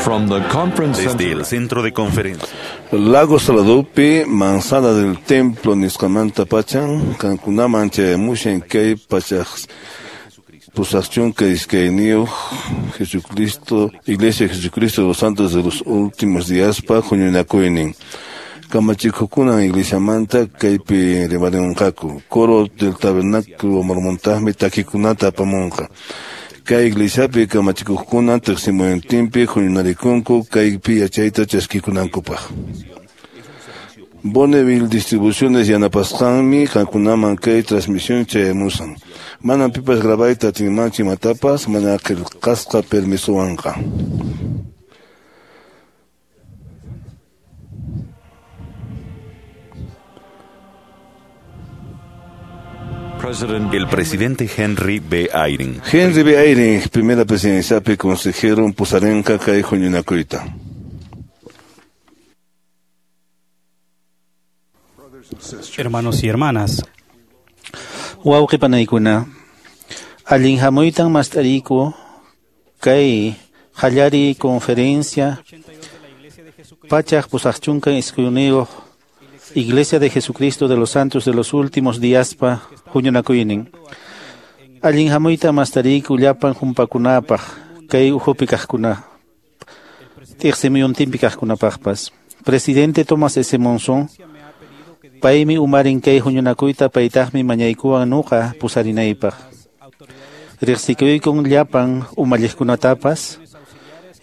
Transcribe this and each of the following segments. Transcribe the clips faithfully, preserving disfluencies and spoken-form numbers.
From the conference Desde center el centro de conferencia. Lago Saladopi, Manzana del Templo, nisqamanta pachan, qankunaman chayamushan kay pachaq pusaqchunka iskayniyuq Jesucristo, Iglesia de Jesucristo de los Santos de los Últimos Días pa huñunakuynin. Kamachikuqkunan iglesiamanta kaypi rimarinqaku. Coro del Tabernáculo Mormontaqmi takikunata apamunqa. Kay iglesiapi kamachikuqkuna tiqsimuyuntinpi huñunarikunku kaypi yachayta chaskikunankupaq. Bonneville Distribuciones yanapasqanmi qankunaman kay transmisión chayamusan. Manam pipas grabayta atinmanchu imatapas mana qillqasqa permisowanqa. President El presidente Henry B. Eyring. Henry B. Eyring, primera presidenciapi consejero pusarinqa kay huñunakuyta. Hermanos y hermanas, Wawqi panaykuna, allin hamuytan mast'ariku kay qallariy conferencia pachaq pusaqchunka iskayniyuq Iglesia de Jesucristo de los Santos de los Últimos Díaspa huñunakuynin. Allin hamuyta mast'ariku llapan humpakunapaq kay ukhupi kaqkuna tiqsimuyuntinpi kaqkunapaqpas. Presidente Thomas S. Monson paymi umarin kay huñunakuyta paytaqmi mañaykuwan nuqa pusarinaypaq. Riqsikuykun llapan umalliqkunatapas,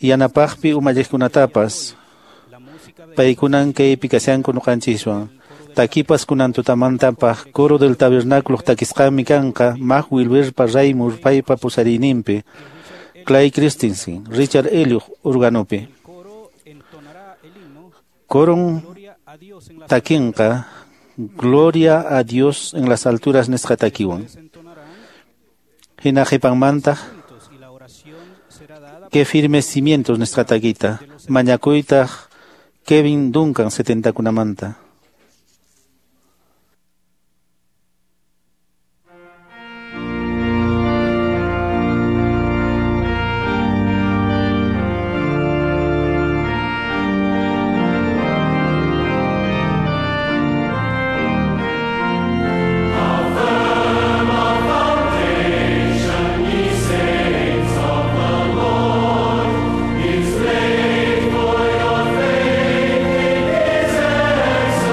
yanapaqpi umalliqkunatapas, paykunan kaypi kashanku nuqanchiswan. Takipas kunan tutamantapaq coro del tabernáculo takisqanmi kanqa Mac Wilberpa Raymur paypa pusariyninpi, Clay Christensen, Richard Elliot organopi. Coron takinqa Gloria a Dios en las alturas nisqa takiwan. Hina qhipanmantaq Que firmes cimientos nisqa takita. Mañakuytaq Kevin Duncan setentakunamanta. Faith in His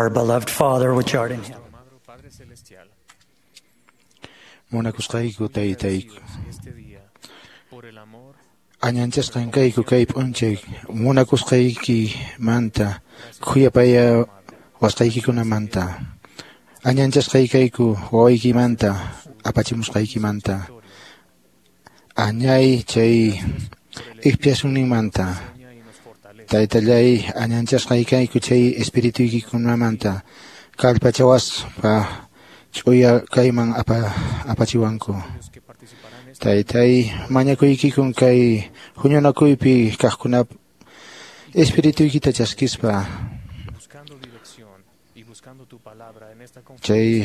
Our beloved Father, which art in heaven. Munakusqayku taytayku. Añanchasqan kayku kay p'unchay munakusqaykimanta khuyapaya wasqaykikunamanta. Añanchasqaykayku wawaykimanta apachimusqaykimanta. Añay chay expiacionninmanta. Taytallay añanchasqaykayku chay espirituykikunamanta kallpachawaspa ch'uya kayman apa, apachiwanku. Taytay mañakuykikun kay huñunakuypi kaqkunap espirituykita chaskispa chay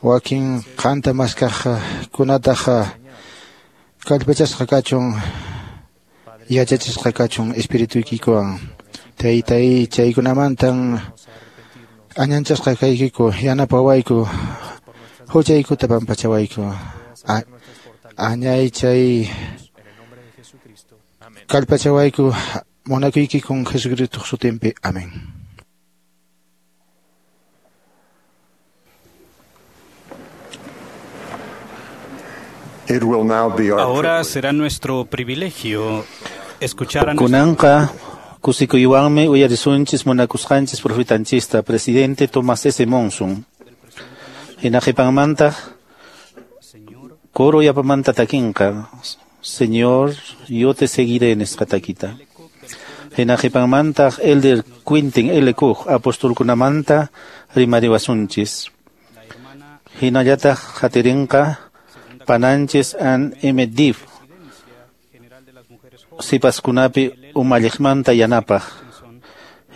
wakin qanta maskaqkunataqa kallpachasqa kachun yachachisqa kachun espirituykikuwan. Taytay chaykunamantan añanchasqa kaykiku yanapawayku huchaykuta pampachawayku. Añay chay kallpachawayku munakuykikun Jesucristo sutinpi. Amén. It will now be our Ahora será nuestro privilegio escuchar a nuestro Kunanqa kusikuywanmi uyarisunchis munakusqanchis profetanchista presidente Thomas S. Monson. Hina qhipanmantaq coro yapamanta takinqa Señor, yo te seguiré nisqa takita. Hina qhipanmantaq Elder Quintin L. Cook apostolkunamanta rimariwasunchis. Hinallataq qatirinqa pananchis an M. Div sipaskunapi umalliqmanta yanapaq.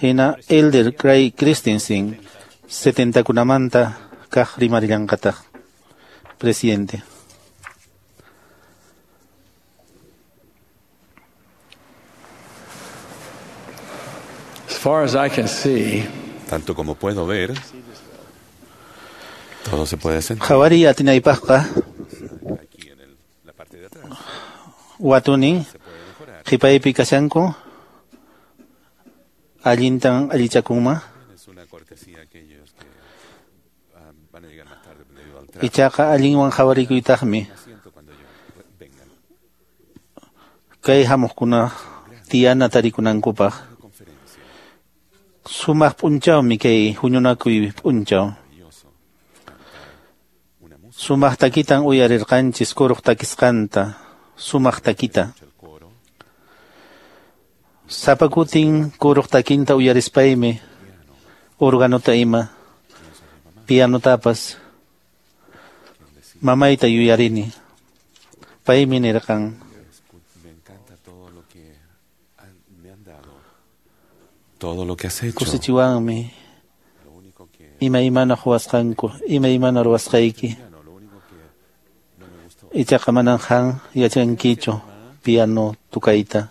Hina Elder Craig Christensen setentakunamanta kaq rimarillanqataq. Presidente. As far as I can see, Tanto como puedo ver, todo se puede sentir Qhawariy atinaypaqqa aquí en el- la parte de atrás. watunin Se puede mejorar. qhipaypi kashanku allintan allichakunma. Es una cortesía a aquellos que ah, van a llegar más tarde debido al tráfico. Ichaqa allinwan qhawarikuytaqmi Asiento cuando yo vengan. kay hamuqkuna tiyana tarikunankupaq. Una conferencia Sumaq p'unchawmi kay huñunakuy p'unchaw. maravilloso. Cantar una música, Sumaq takitan uyarirqanchis kuruq takisqanta. Sumaq takita. el coro, Sapa kutin kuruq takinta uyarispaymi organota ima pianotapas mamayta yuyarini. Paymi nirqan Escu- me encanta todo lo que han- me han dado, todo lo que has hecho. kusichiwanmi Lo único que imaymana huwasqanku imaymana ruwasqayki. piano, lo único que no me gustó. Ichaqa manan han yachankichu piano tukayta.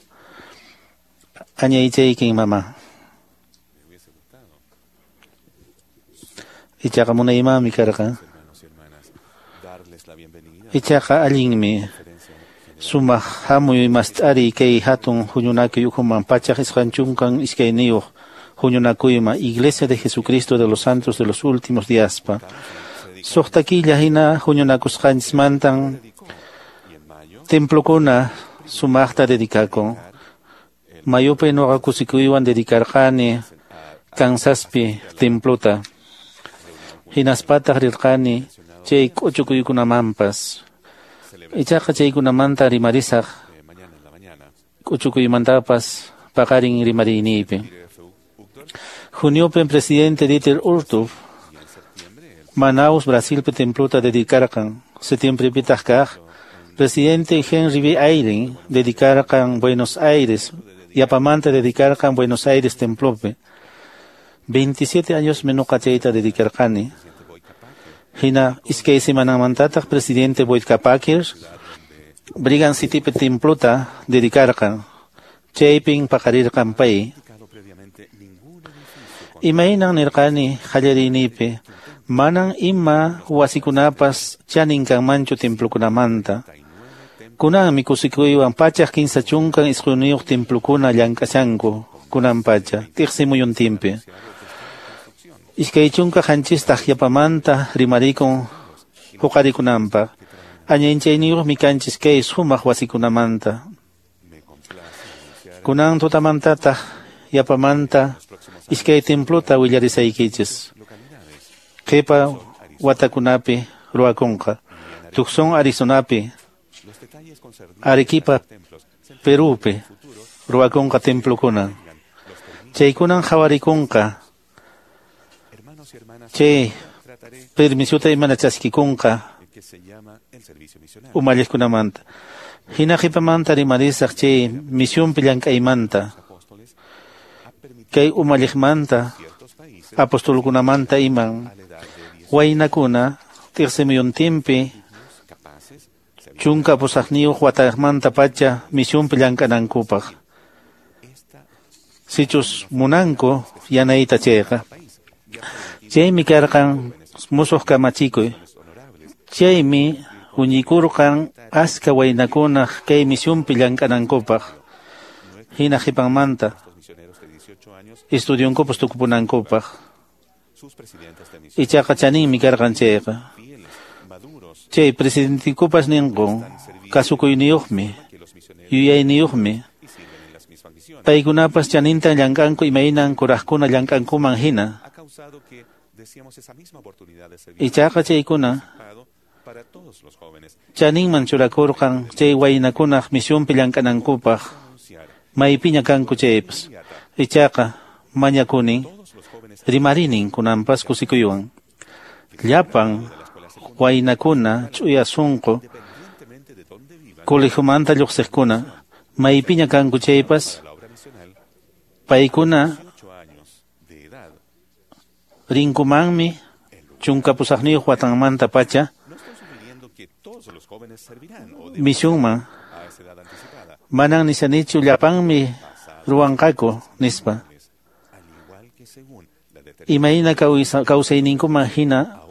Añaychaykin mama. Me hubiese gustado, Ichaqa munaymanmi karqan. hermanos y hermanas, darles la bienvenida a Ichaqa allinmi la conferencia general. sumaq hamuy mast'ari kay hatun huñunakuy ukhuman pachaq isqun chunkan iskayniyuq huñunakuyman Iglesia de Jesucristo de los Santos de los Últimos Díaspa. Suqta killa hina huñunakusqanchismantan Dedicó, y en mayo templokuna sumaqta dedicakun. Mayupi nuqa kusikuywan dedicarqani Kansaspi templuta. Hinaspataq rirqani chay k'uchukuykunamanpas. Ichaqa chaykunamanta rimarisaq eh, mañana en la mañana, k'uchukuymantapas paqarin rimariniypi. Peter F. Uchtdorf, Juniopi presidente Dieter Uchtdorf y en septiembre el Manaus, Brasilpi templuta dedicarqan. Septiembrepitaq kaq presidente Henry B. Eyring dedicarqan Buenos Aires, yapamanta dedicarqan Buenos Aires templopi. veintisiete años nuqa chayta dedicarqani. presidente Boyd K. Packer, Hina iskay semanamantataq presidente Boyd K. Packer Brigham Citypi templuta dedicarqan. Chaypin paqarirqan pay. dedicado previamente ningún edificio con Imaynan nirqani qallariynipi, manan ima wasikunapas chanin kanmanchu templokunamanta. treinta y nueve templos Kunanmi kusikuywan pachaq kinsa chunkan isqunniyuq templokuna llank'ashanku kunan pacha, tiqsimuyuntinpi. anunciado que están en construcción. Iskay chunka qanchistaq yapamanta rimarikun huqarikunanpaq. Añanchayniyuqmi kanchis kay sumaq wasikunamanta. Kunan tutamantataq yapamanta iskay templuta willarisaykichis. Qhipa watakunapi ruwakunqa. Tucson, Arizonapi, Arequipa, Perupi ruwakunqa templukuna. Chaykunan qhawarikunqa. Chay permisuta imana chaskikunqa umalliqkunamanta. Hina qhipamanta rimarisaq chay misionpi llank'aymanta. Kay umalliqmanta apostolkunamanta iman waynakuna tiqsimuyuntinpi chunka pusaqniyuq watamanta pacha misionpi llank'anankupaq. Sichus munanku yanayta chayqa. Chaymi karqan musuq kamachikuy. Chaymi huñikurqan aska waynakunaq kay misionpi llank'anankupaq. Hina qhipanmanta estudionkupas tukupunankupaq. Ichaqa chaninmi karqan chayqa. Chay presidentikupas ninku kasukuyniyuqmi, yuyayniyuqmi. Paykunapas chanintan llank'anku imaynan kuraqkuna llank'ankuman hina. Ichaqa chaykuna chaninman churakurqan chay waynakunaq misionpi llank'anankupaq maypiña kanku chaypas. Ichaqa mañakunin rimarinin kunanpas kusikuywan. Llapan waynakuna ch'uya sunqu colegiomanta lluqsiqkuna maypiña kanku chaypas paykuna rinkumanmi chunka pusaqniyuq watanmanta pacha misionman. Manan nisanichu llapanmi ruwanqaku nispa. Imayna kawsayninkuman hina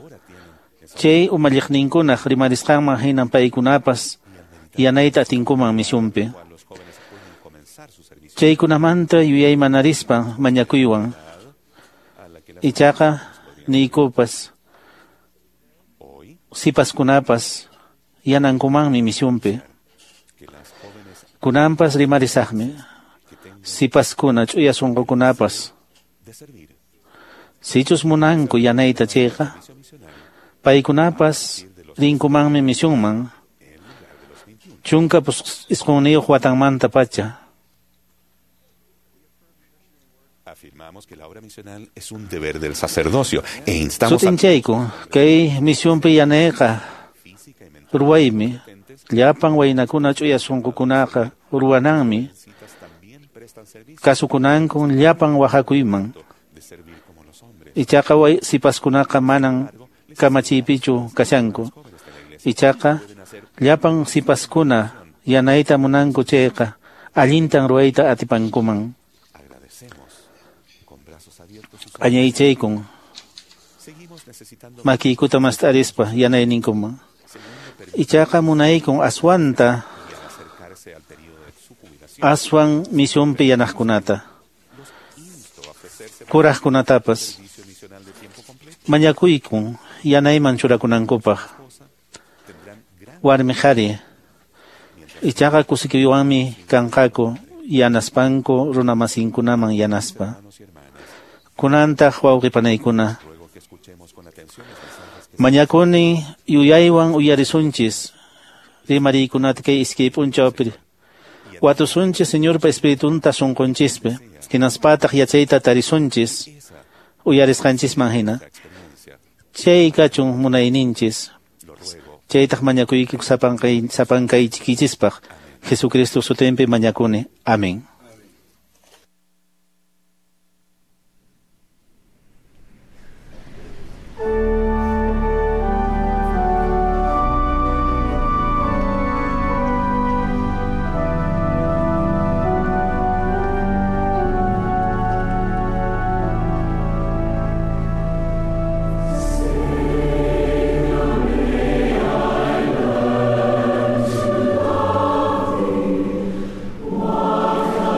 chay umalliqninkunaq rimarisqanman hina paykunapas yanayta atinkuman misionpi. Chaykunamanta yuyaymanarispa mañakuywan. Ichaqa niykupas sipaskunapas yanankumanmi misionpi. Kunanpas rimarisaqmi sipaskuna ch'uya sunqukunapas. Sichus munanku yanayta chayqa paykunapas rinkumanmi misionman chunka isqunniyuq watanmanta pacha. Afirmamos que la obra misional es un deber del sacerdocio e instamos a Sutinchayku kay misionpi yanayqa ruwaymi llapan waynakuna ch'uya sunqukunaqa ruwananmi kasukunankun llapan waqakuyman. Ichaqa sipaskunaqa manan kamachiypichu kashanku. Ichaqa llapan sipaskuna yanayta munanku chayqa allintan ruwayta atipankuman. Añaychaykun makiykuta mast'arispa yanayninkuman. Ichaqa munaykun aswanta aswan misionpi yanaqkunata kuraqkunatapas mañakuykun yanayman churakunankupaq. Warmi qhari ichaqa kusikuywanmi kanqaku yanaspanku runamasinkunaman yanaspa. Kunantaq wawqipanaykuna mañakuni yuyaywan uyarisunchis rimariykunata kay iskay p'unchawpi. Watusunchis Señorpa Espiritunta sunqunchispi hinaspataq yachayta tarisunchis uyarisqanchisman hina. Chay kachun munayninchis. Chaytaq mañakuyki sapankay sapankaychikichispaq. Jesucristo sutinpi mañakuni. Amén. What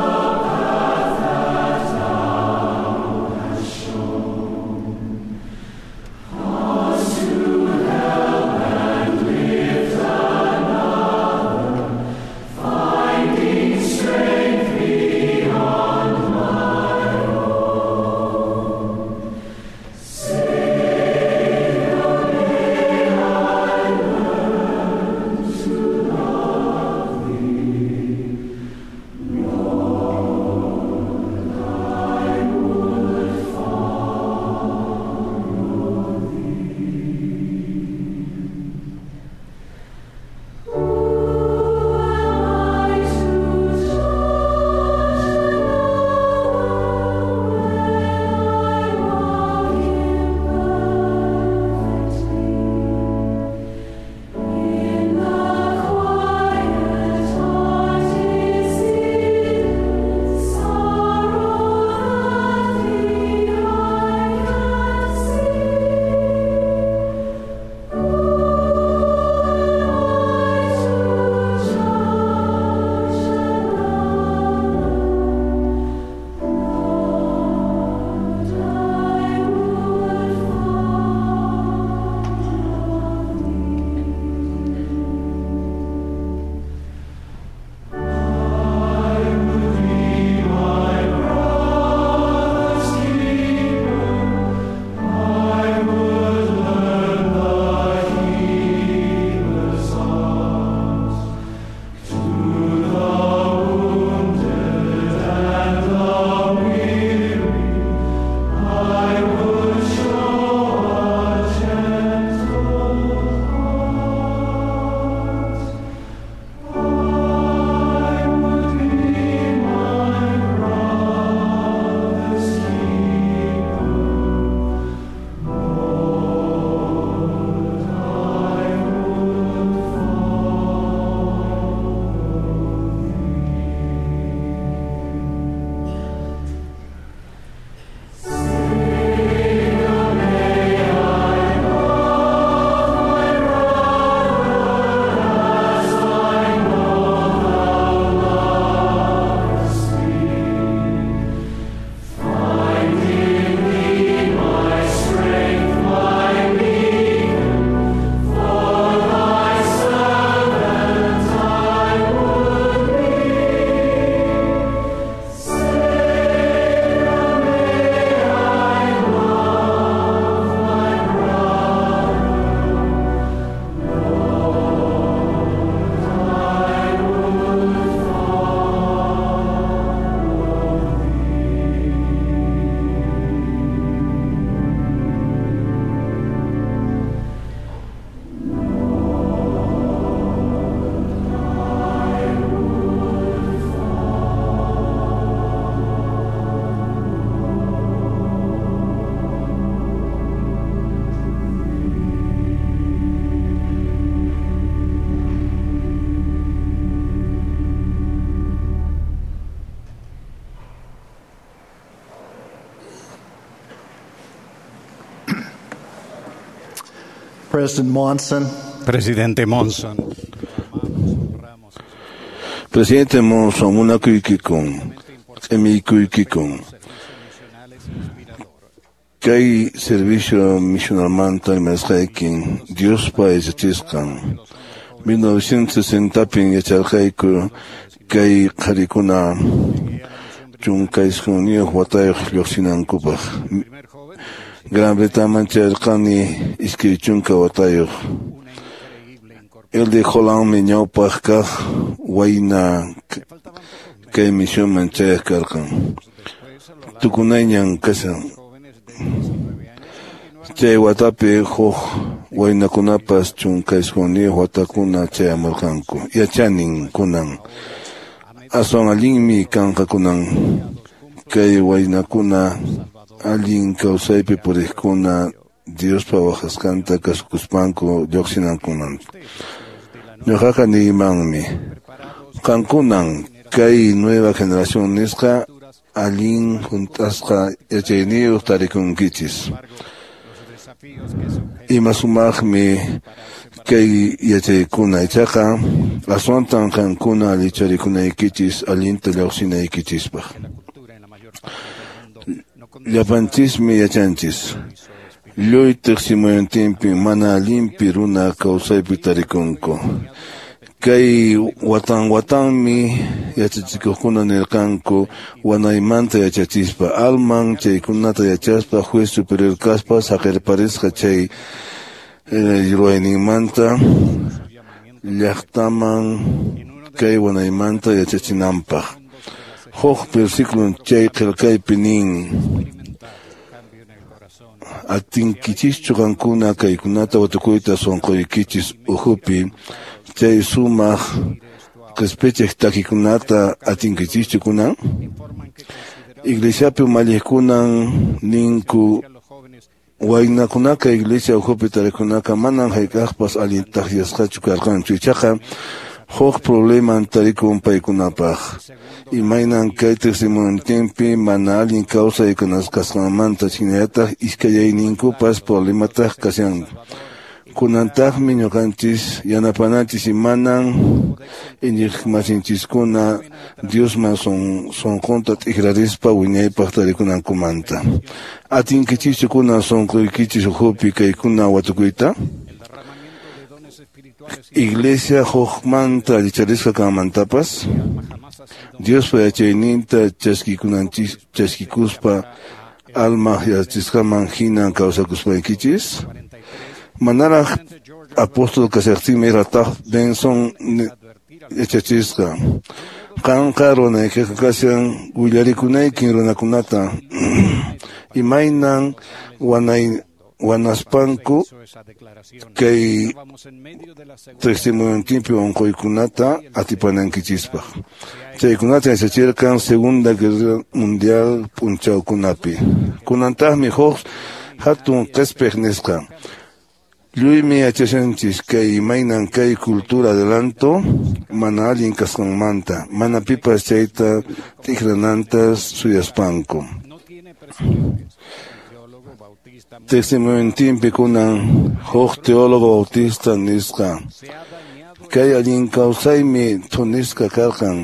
President Monson. Presidente Monson. Presidente Monson, munakuykikun, q'imikuykikun. Kay servicio misionalmanta rimasqaykin Diospa yachachisqan. mil novecientos sesentapin yacharqayku kay qharikuna chunka isqunniyuq watayuq lluqsinankupaq. Gran Bretañaman chayarqani iskay chunka watayuq. El de Hollandmi ñawpaq kaq wayna kay misionman chayaq karqan. Tukunayñan kashan. Chay watapi huk waynakunapas chunka isqunniyuq watakuna chayamurqanku. Yachanin kunan. Aswan allinmi kanqa kunan kay waynakuna allin kawsaypi puriqkuna Diospa waqasqanta kasukuspanku lluqsinankuman. Ñuqaqa niymanmi qankunan kay nueva generación nisqa allin hunt'asqa yachayniyuq tarikunkichis. Ima sumaqmi kay yachaykuna ichaqa aswantan qankuna allicharikunaykichis allinta lluqsinaykichispaq. Llapanchismi yachanchis. Lluy tiqsimuyuntinpi mana allinpi runa kawsaypi tarikunku. Kay watan watanmi yachachikuqkuna nirqanku wanaymanta yachachispa alman chaykunata yachaspa juez superior kaspa saqirparisqa chay ruwayninmanta llaqtaman kay wanaymanta yachachinanpaq. Huk versículo chay qillqaypi nin: Atinkichischu qankuna kaykunata watukuyta sunquykichis ukhupi chay sumaq qispichiq takikunata atinkichischu kunan? Iglesiapi umalliqkunan ninku waynakunaka iglesia ukhupi tarikunaka manan hayk'aqpas allin takyasqachu karqanchu, ichaqa huk probleman tarikun paykunapaq. Imaynan kay tiqsimuyuntinpi mana allin kawsay kasqanmanta hinallataq iskayayninkupas problemataq kashan. Kunantaqmi ñuqanchis yanapananchis imanan iñiqmasinchiskuna Diosman sunqunta t'ikrarispa wiñaypaq tarikunankumanta. Atinkichischu kunan sunquykichis ukhupi kaykuna watukuyta? Iglesia hukmanta allicharisqa kanmantapas Diospa yachayninta chaskikunanchis chaskikuspa alma yachachisqaman hinan kawsakuspaykichis. Manaraq apóstol kashaqtinmi Rataq Benson yachachisqa. Qanqa runaykiqa kashan willarikunaykin runakunata imaynan wanay wanaspanku kay tiqsimuyuntinpi unquykunata atipanankichispaq. Chaykunata yachachirqan Segunda Guerra Mundial p'unchawkunapi. Kunantaqmi huk hatun qispiq nisqa. Lluymi yachashanchis kay imaynan kay cultura adelanto mana allin kasqanmanta, mana pipas chayta t'ikrananta suyaspanku. Tiqsimuyuntinpi kunan huk teólogo bautista nisqa kay allin kawsaymi thunisqa karqan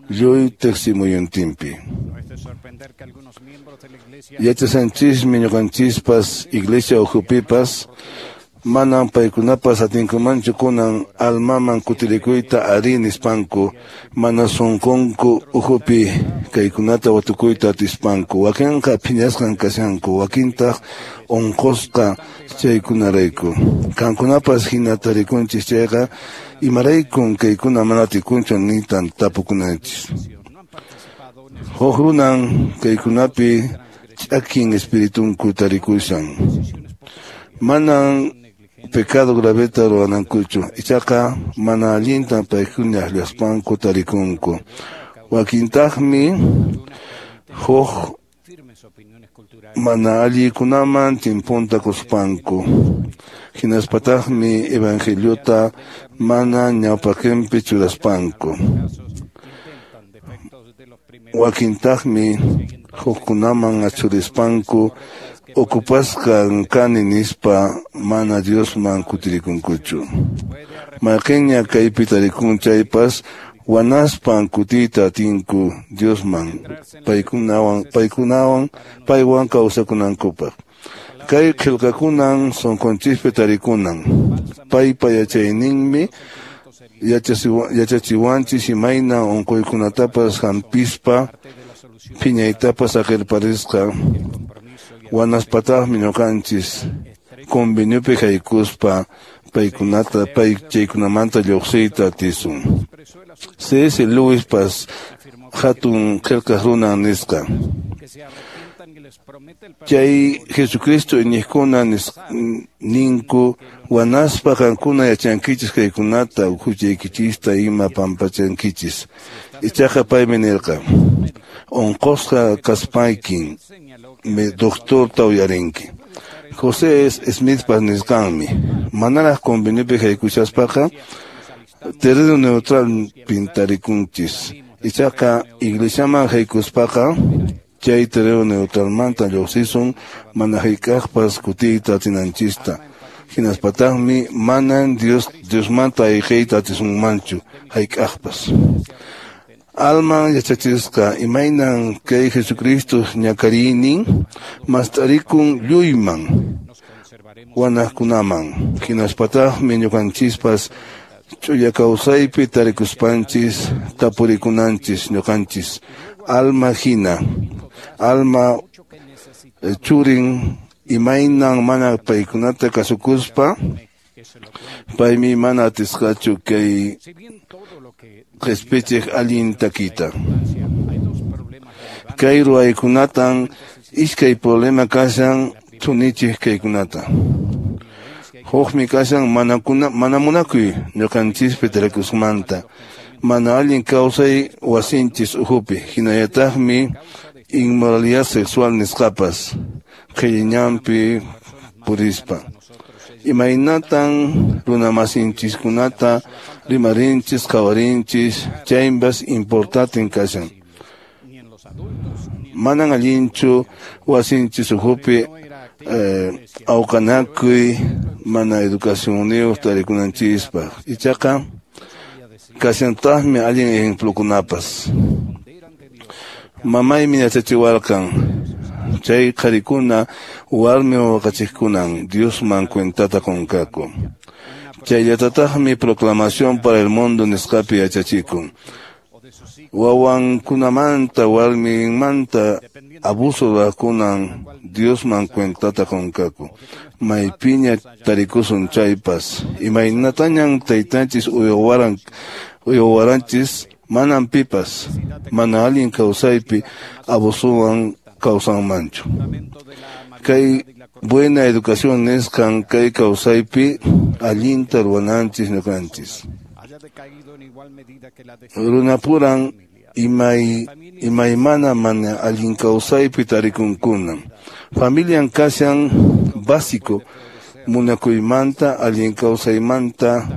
lluy tiqsimuyuntinpi. Yachasanchismi ñuqanchispas iglesia ukhupipas manan paykunapas atinkumanchu kunan almaman kutirikuyta ari nispanku mana sunqunku ukhupi kaykunata watukuyta atispanku. Wakinqa phiñasqan kashanku, wakintaq unqusqa chaykunarayku. Qankunapas hina tarikunchis chayqa imaraykun kaykuna mana atikunchu nitan tapukunanchis. Huk runan kaykunapi ch'akin espiritunku tarikushan. Manan pecado graveta ruwanankuchu, ichaqa mana allintan paykuna akllaspanku tarikunku. Wakintaqmi huk mana allikunaman timpunta kuspanku. Hinaspataqmi evangeliota mana ñawpaqinpi churaspanku. Wakintaqmi hukkunaman achurispanku Ocupasqan kani nispa mana Diosman kutirikunkuchu. Mayqinña kaypi tarikun chaypas wanaspan kutiyta atinku Diosman paykunawan paykunawan paywan kawsakunankupaq. Kay qillqakunan sunqunchikpi tarikunan. Paypa yachayninmi yachachiwanchis imayna unquykunatapas hampispa phiñaytapas saqirparisqa wanaspataqmi ñuqanchis conveniopi haykuspa paykunata pay chaykunamanta lluqsiyta atisun. C S Lewispas hatun qillqaq runan nisqa. Chay Jesucristo iñiqkuna ninku wanaspa qankuna yachankichis kaykunata huchaykichista ima pampachankichis. Ichaqa paymi nirqa unqusqa kaspaykin doctorta uyarinki. José Smithpas nisqanmi manaraq conveniopi haykushaspaqa terreno neutral pintarikunchis. Ichaqa iglesiaman haykuspaqa chay terreno neutralmanta lluqsisun mana hayk'aqpas kutiyta atinanchista. Hinaspataqmi manan Dios Diosmanta ayqiyta atisunmanchu hayk'aqpas. Alman yachachisqa imaynan kay Jesucristo ñakariynin mast'arikun lluyman wanaqkunaman. Hinaspataqmi ñuqanchispas ch'uya kawsaypi tarikuspanchis tapurikunanchis ñuqanchis alma hina alma churin imaynan mana paykunata kasukuspa paymi mana atisqachu kay qhispichiq allin takita. Kay ruwaykunatan iskay problema kashan thunichiq kaykunata. Hukmi kashan manakuna mana munakuy ñuqanchispi tarikusqamanta mana allin kawsay wasinchis ukhupi hinallataqmi inmoralidad sexual nisqapas qhilliñanpi purispa. Imaynatan runamasinchiskunata rimarinchis qhawarinchis chaypas importante kashan. Manan allinchu wasinchis ukhupi eh, awqanakuy mana educacionniyuq tarikunanchispaq. Ichaqa kashantaqmi allin ejemplokunapas. Mamaymi yachachiwarqan chay qharikuna warmi waqachiqkunan Diosman cuentata qunqaku. Chayllatataqmi proclamación para el mundo nisqapi yachachikun. Wawankunamanta warminmanta abuso ruwaqkunan Diosman cuentata qunqaku. Maypiña tarikusun chaypas imaynatañan taytanchis uywaran uywaranchis manan pipas mana allin kawsaypi abusuwan kawsanmanchu. Kay buena educación nisqan kay kawsaypi allinta ruwananchis ñuqanchis. Runapuran imay imaymana mana allin kawsaypi tarikunkuna. Familian kashan básico munakuymanta allin kawsaymanta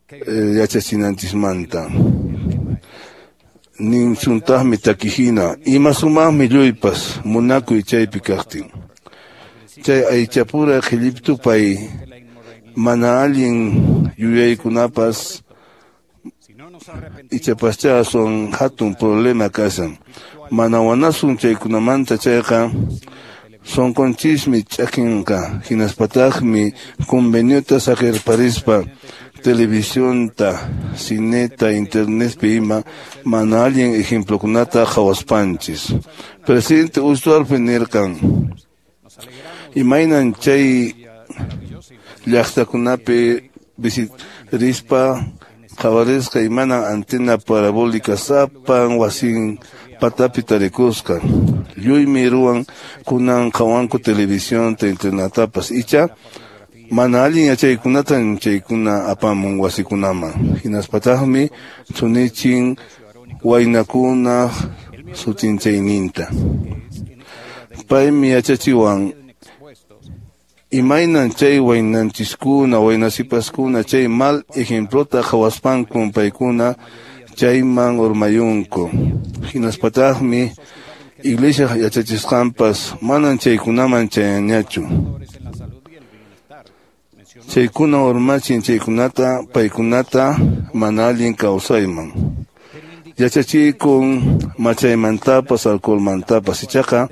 eh, yachachinanchismanta. Ninsuntaqmi takihina ima sumaqmi lluypas munakuy chaypi kaqtin. Chay aychapura qhilliptupay mana allin yuyaykunapas ichapascha son hatun problema kashan. Mana wanasun chaykunamanta chayqa sunqunchismi ch'akinqa hinaspataqmi conveniota saqirparispa televisionta, cineta, internetpi ima mana allin ejemplokunata qhawaspanchis. Presidente Uxdorfmi nirqan imaynan chay llaqtakunapi rispa qhawarisqa imanan antena parabólica sapan wasin patapi tarikusqa. Lluymi ruwan kunan qhawanku televisionta internetapas icha mana allin yachaykunatan chaykuna apamun wasikunaman. Hinaspataqmi thunichin waynakuna sutinchayninta. Paymi yachachiwan imaynan chay waynanchiskuna waynasipaskuna chay mal ejemplota qhawaspankun paykuna chayman urmayunku. Hinaspataqmi Iglesia yachachisqanpas manan chaykunaman chayanñachu. Chaykuna urmachin chaykunata paykunata mana allin kawsayman. Yachachikun machaymantapas alcoholmantapas ichaqa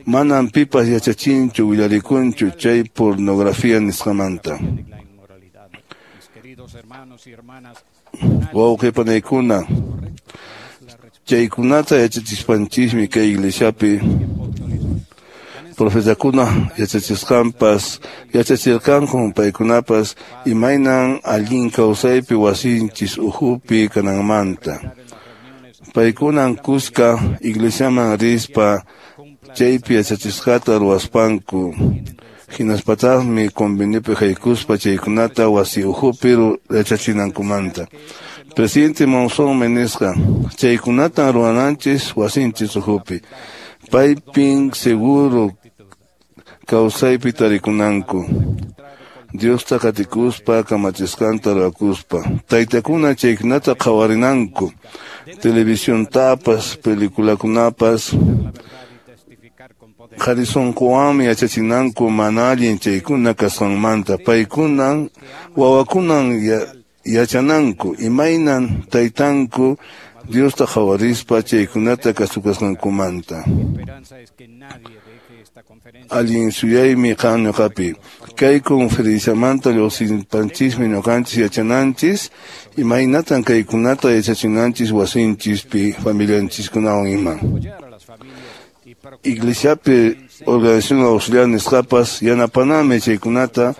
manan pipas yachachinchu willarikunchu chay pornografía nisqamanta. Wawqi panaykuna, chaykunata yachachispanchismi kay iglesiapi profetakuna yachachisqanpas yachachirqanku paykunapas imaynan allin kawsaypi wasinchis uhupi kananmanta. Paykunan kuska iglesiaman rispa chaypi yachachisqata ruwaspanku hinaspataqmi conveniopi haykuspa chaykunata wasi uhupi yachachinankumanta. Presidente Monzón nisqa chaykunatan ruwananchis wasinchis uhupi paypin seguro kawsaypi tarikunanku. Diosta qatikuspa kamachisqanta ruwakuspa taytakuna chaykunata qhawarinanku televisiontapas peliculakunapas qharisunkuwanmi yachachinanku mana allin chaykuna kasqanmanta. Paykunan wawakunan yachananku imaynan taytanku Diosta qhawarispa chaykunata kasukasqankumanta. Allin suyaymi qan ñuqapi kay conferenciamanta lluqsinpanchismi ñuqanchis yachananchis imaynatan kaykunata yachachinanchis wasinchispi familianchiskunawan ima. Iglesiapi organización auxiliar nisqapas yanapanami chaykunata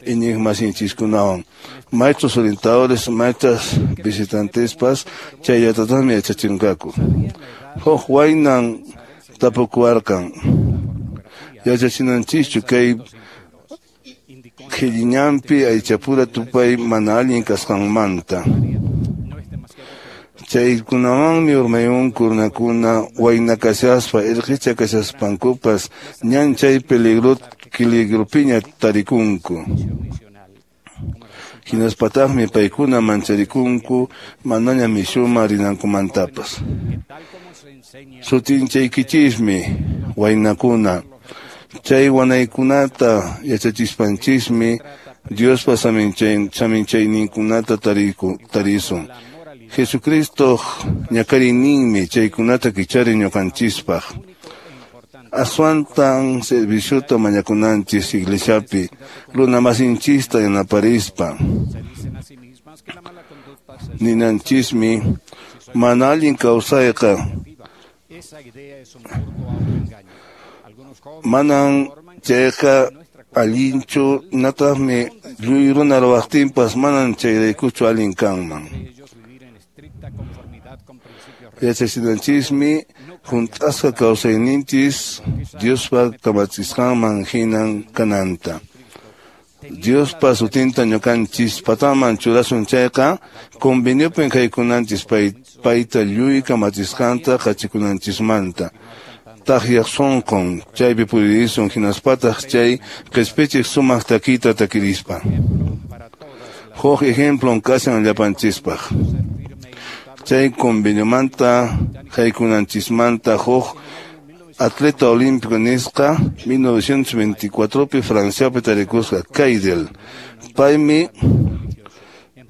iñiqmasinchiskunawan. Maestros orientadores, maestras visitantespas chayllatataqmi yachachinqaku. Huk waynan tapukuwarqan yachachinanchischu kay qhilliñanpi aychapura tupay mana allin kasqanmanta. Chaykunawanmi urmayunku runakuna wayna kashaspa irqicha kashaspankupas ñan chay peligro peligropiña tarikunku. Hinaspataqmi paykuna mancharikunku manaña mishuma rinankumantapas. Sutinchaykichismi waynakuna chay wanaykunata yachachispanchismi Diospa saminchayninkunata tarisun. Jesucristo ñakarininmi chaykunata kichari ñuqanchispaq. Aswantan serviciota mañakunanchis iglesiapi runamasinchista yanaparispa. Ninanchismi mana allin kawsayqa manan chayqa allinchu nataqmi lluy runa ruwaqtinpas manan chayraykuchu allin kanman. Yachachinanchismi hunt'asqa kawsayninchis Diospa kamachisqanman hinan kananta. Diospa sutinta ñuqanchis pataman churasun chayqa conveniopin haykunanchis payta lluy kamachisqanta qachikunanchismanta. Taqyaq sunqun chaypi puririsun hinaspataq chay qispichiq sumaq takita takirispa. Huk ejemplon kashan llapanchispaq. Chay conveniomanta haykunanchismanta huk atleta olímpico nisqa mil novecientos veinticuatropi Franciapi tarikusqa Kaidel. Paymi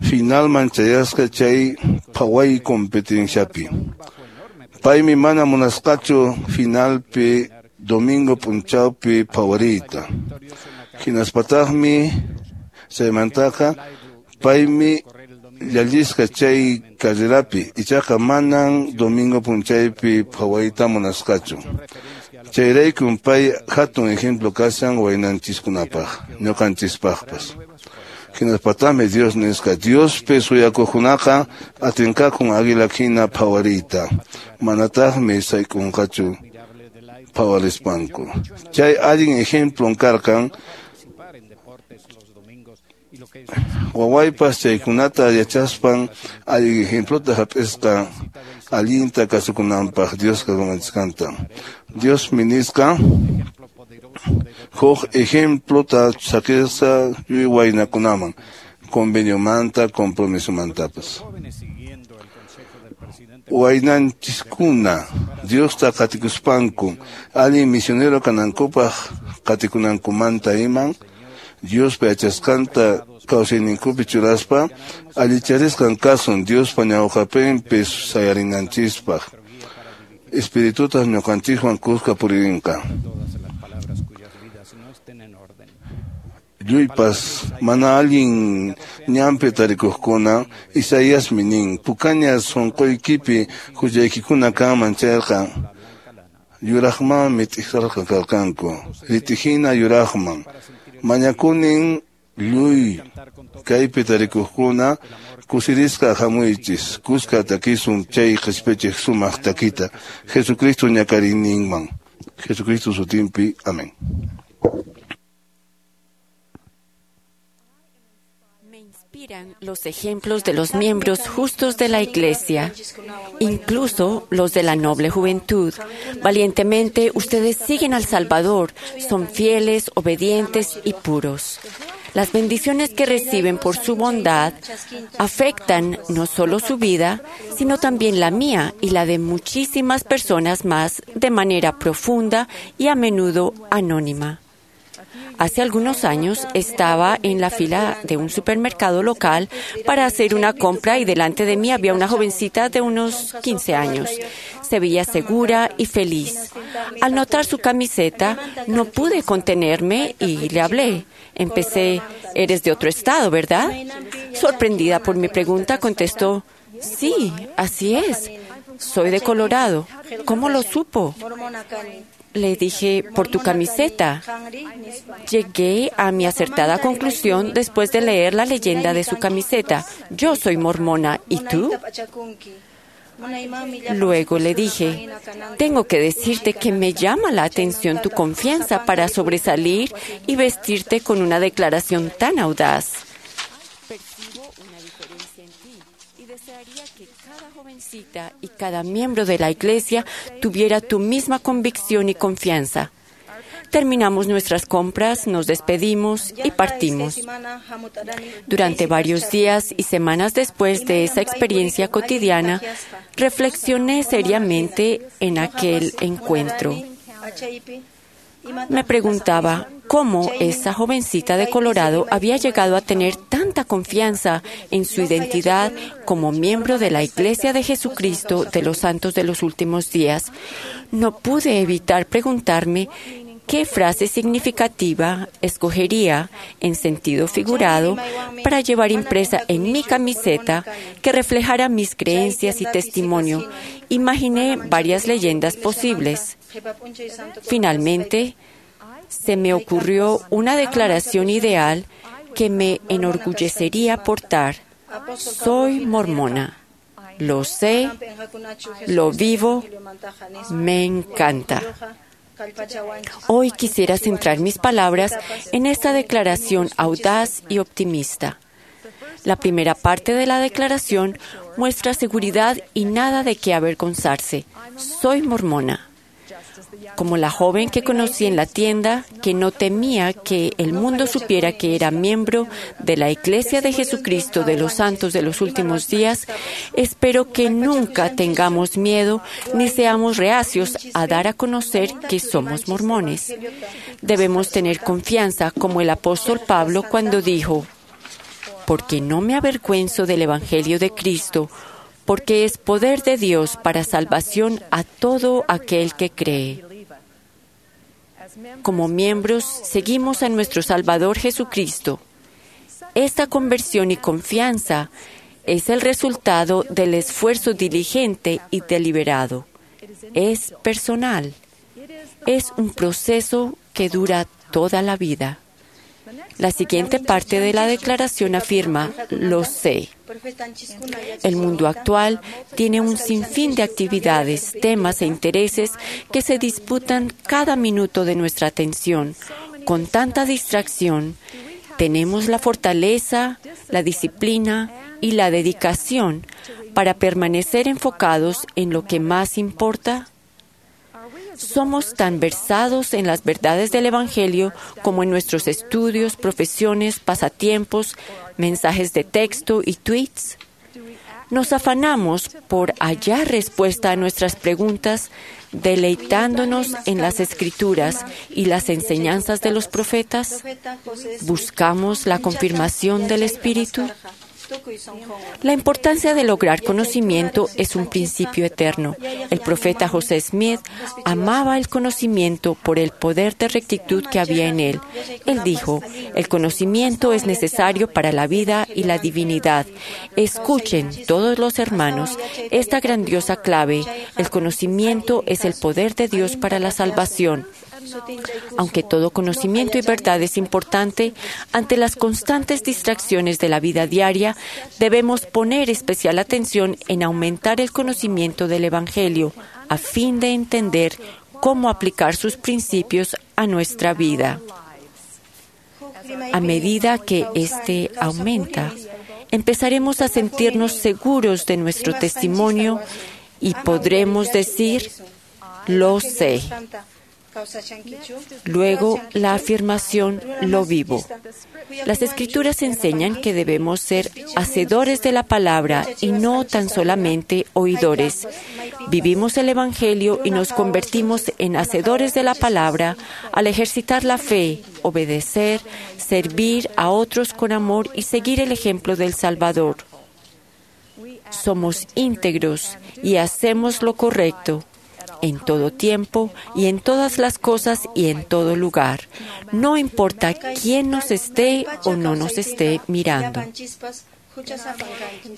finalman chayasqa chay phaway competenciapi. Paymi mana munasqachu finalpi domingo p'unchawpi phawariyta. Hinaspataqmi chaymantaqa paymi llallisqa chay carrerapi ichaqa manan domingo p'unchaypi phawayta munasqachu. Chayraykun pay hatun ejemplo kashan waynanchiskunapaq ñuqanchispaqpas. Hinaspataqmi Dios nisqa Diospi suyakuqkunaqa atinqakun águila hina phawariyta manataqmi sayk'unqachu phawarispanku. Chay allin ejemplon karqan wawaypas chaykunata yachaspan allin ejemplota hap'isqa allinta kasukunanpaq Diosqa kamachisqanta. Diosmi nisqa huk ejemplota saqisqa lluy waynakunaman conveniomanta compromisomantapas. Waynanchiskuna Diosta qatikuspanku allin misionero kanankupaq qatikunankumanta iman Diospa yachasqanta kawsayninkupi churaspa allicharisqan kasun Diospa ñawqapinpi sayarinanchispaq Espiritutaq ñuqanchikwan kuska puririnqa. Lluypas mana allin ñanpi tarikuqkuna Isaíasmi nin pukaña sunquykipi huchaykikuna kanman chayqa yuraqmanmi t'ikrarqa karqanku ritihina yuraqman mañakunin lluy kaypi tarikuqkuna kusirisqa hamuychis kuska takisun chay qhispichiq sumaq takita Jesucristo ñakarininman Jesucristo sutinpi amén. Los ejemplos de los miembros justos de la Iglesia, incluso los de la noble juventud. Valientemente, ustedes siguen al Salvador, son fieles, obedientes y puros. Las bendiciones que reciben por su bondad afectan no solo su vida, sino también la mía y la de muchísimas personas más de manera profunda y a menudo anónima. Hace algunos años estaba en la fila de un supermercado local para hacer una compra y delante de mí había una jovencita de unos quince años. Se veía segura y feliz. Al notar su camiseta, no pude contenerme y le hablé. Empecé, «Eres de otro estado, ¿verdad?». Sorprendida por mi pregunta, contestó, «Sí, así es. Soy de Colorado». ¿Cómo lo supo? Le dije, por tu camiseta. Llegué a mi acertada conclusión después de leer la leyenda de su camiseta. Yo soy mormona, ¿y tú? Luego le dije, tengo que decirte que me llama la atención tu confianza para sobresalir y vestirte con una declaración tan audaz. Percibo una diferencia en ti y desearía que cada jovencita y cada miembro de la Iglesia tuviera tu misma convicción y confianza. Terminamos nuestras compras, nos despedimos y partimos. Durante varios días y semanas después de esa experiencia cotidiana, reflexioné seriamente en aquel encuentro. Me preguntaba cómo esa jovencita de Colorado había llegado a tener tanta confianza en su identidad como miembro de la Iglesia de Jesucristo de los Santos de los Últimos Días. No pude evitar preguntarme qué frase significativa escogería en sentido figurado para llevar impresa en mi camiseta que reflejara mis creencias y testimonio. Imaginé varias leyendas posibles. Finalmente, se me ocurrió una declaración ideal que me enorgullecería portar. Soy mormona. Lo sé, lo vivo, me encanta. Hoy quisiera centrar mis palabras en esta declaración audaz y optimista. La primera parte de la declaración muestra seguridad y nada de qué avergonzarse. Soy mormona. Como la joven que conocí en la tienda, que no temía que el mundo supiera que era miembro de la Iglesia de Jesucristo de los Santos de los Últimos Días, espero que nunca tengamos miedo ni seamos reacios a dar a conocer que somos mormones. Debemos tener confianza, como el apóstol Pablo cuando dijo, «Porque no me avergüenzo del Evangelio de Cristo, porque es poder de Dios para salvación a todo aquel que cree». Como miembros, seguimos a nuestro Salvador Jesucristo. Esta conversión y confianza es el resultado del esfuerzo diligente y deliberado. Es personal. Es un proceso que dura toda la vida. La siguiente parte de la declaración afirma, lo sé. El mundo actual tiene un sinfín de actividades, temas e intereses que se disputan cada minuto de nuestra atención. Con tanta distracción, tenemos la fortaleza, la disciplina y la dedicación para permanecer enfocados en lo que más importa. Somos tan versados en las verdades del Evangelio como en nuestros estudios, profesiones, pasatiempos, mensajes de texto y tweets. Nos afanamos por hallar respuesta a nuestras preguntas, deleitándonos en las Escrituras y las enseñanzas de los profetas. Buscamos la confirmación del Espíritu. La importancia de lograr conocimiento es un principio eterno. El profeta José Smith amaba el conocimiento por el poder de rectitud que había en él. Él dijo, el conocimiento es necesario para la vida y la divinidad. Escuchen, todos los hermanos, esta grandiosa clave. El conocimiento es el poder de Dios para la salvación. Aunque todo conocimiento y verdad es importante, ante las constantes distracciones de la vida diaria, debemos poner especial atención en aumentar el conocimiento del Evangelio, a fin de entender cómo aplicar sus principios a nuestra vida. A medida que éste aumenta, empezaremos a sentirnos seguros de nuestro testimonio y podremos decir, lo sé. Luego, la afirmación lo vivo. Las Escrituras enseñan que debemos ser hacedores de la palabra y no tan solamente oidores. Vivimos el Evangelio y nos convertimos en hacedores de la palabra al ejercitar la fe, obedecer, servir a otros con amor y seguir el ejemplo del Salvador. Somos íntegros y hacemos lo correcto en todo tiempo y en todas las cosas y en todo lugar. No importa quién nos esté o no nos esté mirando.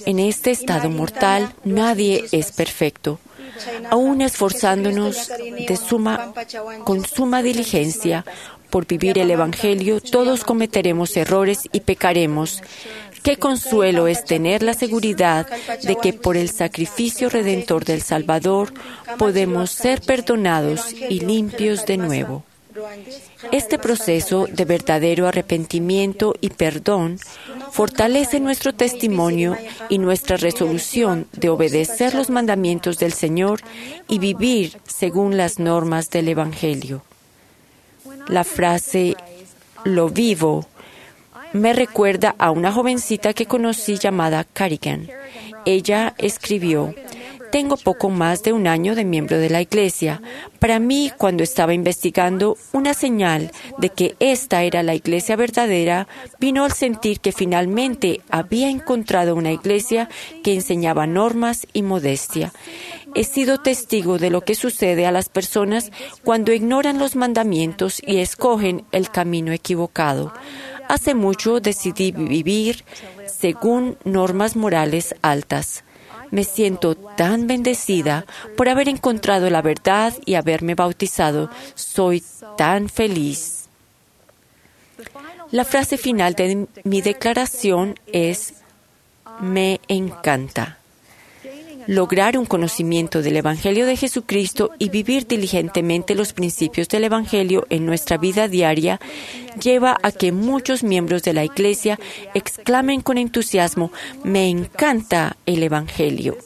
En este estado mortal nadie es perfecto. Aún esforzándonos de suma, con suma diligencia por vivir el Evangelio, todos cometeremos errores y pecaremos. Qué consuelo es tener la seguridad de que por el sacrificio redentor del Salvador podemos ser perdonados y limpios de nuevo. Este proceso de verdadero arrepentimiento y perdón fortalece nuestro testimonio y nuestra resolución de obedecer los mandamientos del Señor y vivir según las normas del Evangelio. La frase lo vivo me recuerda a una jovencita que conocí llamada Carrigan. Ella escribió, tengo poco más de un año de miembro de la iglesia. Para mí, cuando estaba investigando una señal de que esta era la iglesia verdadera, vino al sentir que finalmente había encontrado una iglesia que enseñaba normas y modestia. He sido testigo de lo que sucede a las personas cuando ignoran los mandamientos y escogen el camino equivocado. Hace mucho decidí vivir según normas morales altas. Me siento tan bendecida por haber encontrado la verdad y haberme bautizado. Soy tan feliz. La frase final de mi declaración es, me encanta. Lograr un conocimiento del Evangelio de Jesucristo y vivir diligentemente los principios del Evangelio en nuestra vida diaria lleva a que muchos miembros de la Iglesia exclamen con entusiasmo, me encanta el Evangelio.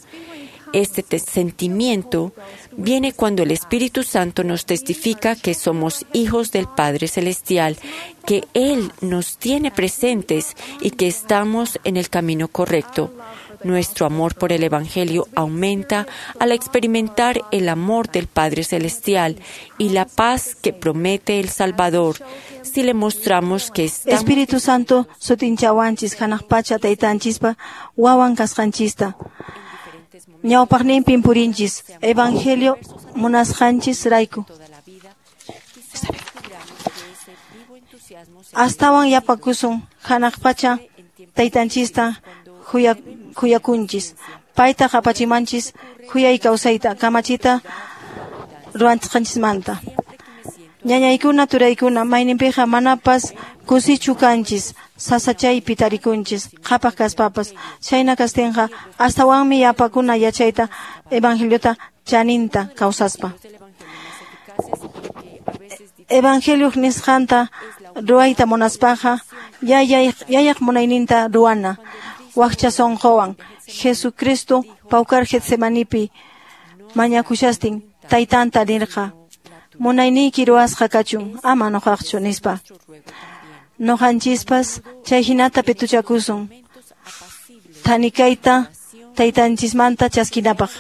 Este sentimiento viene cuando el Espíritu Santo nos testifica que somos hijos del Padre Celestial, que Él nos tiene presentes y que estamos en el camino correcto. Nuestro amor por el Evangelio aumenta al experimentar el amor del Padre Celestial y la paz que promete el Salvador si le mostramos que estamos... Espíritu Santo, sutinchawanchis, hanaq pacha taytanchispa, wawan kasqanchista. Ñawpaqninpin purinchis, Evangelio munasqanchis rayku. Astawan yapakusun, hanaq pacha taytanchista huyakunchis. Payta qapachimanchis, huyay kawsayta, kamachita ruwanchisqanchismanta. Ñañaykuna turaykuna, mayninpiqa manapas kusichu kanchis, sasachaypi tarikunchis, qhapaq kaspapas. Chayna kastinqa astawanmi yapakuna yachayta Evangeliota chaninta kawsaspa. Evangelioq nisqanta ruwayta munaspaqa yayaq munayninta ruwana. Wakcha sunquwan Jesucristo pawkar Getsemanipi mañakushastin taytanta nirqa. Munayniyki ruwasqa kachun, ama nuqaqchu nispa. Nuqanchispas chay hinata pituchakusun. Thanikayta taytanchismanta chaskinapaq.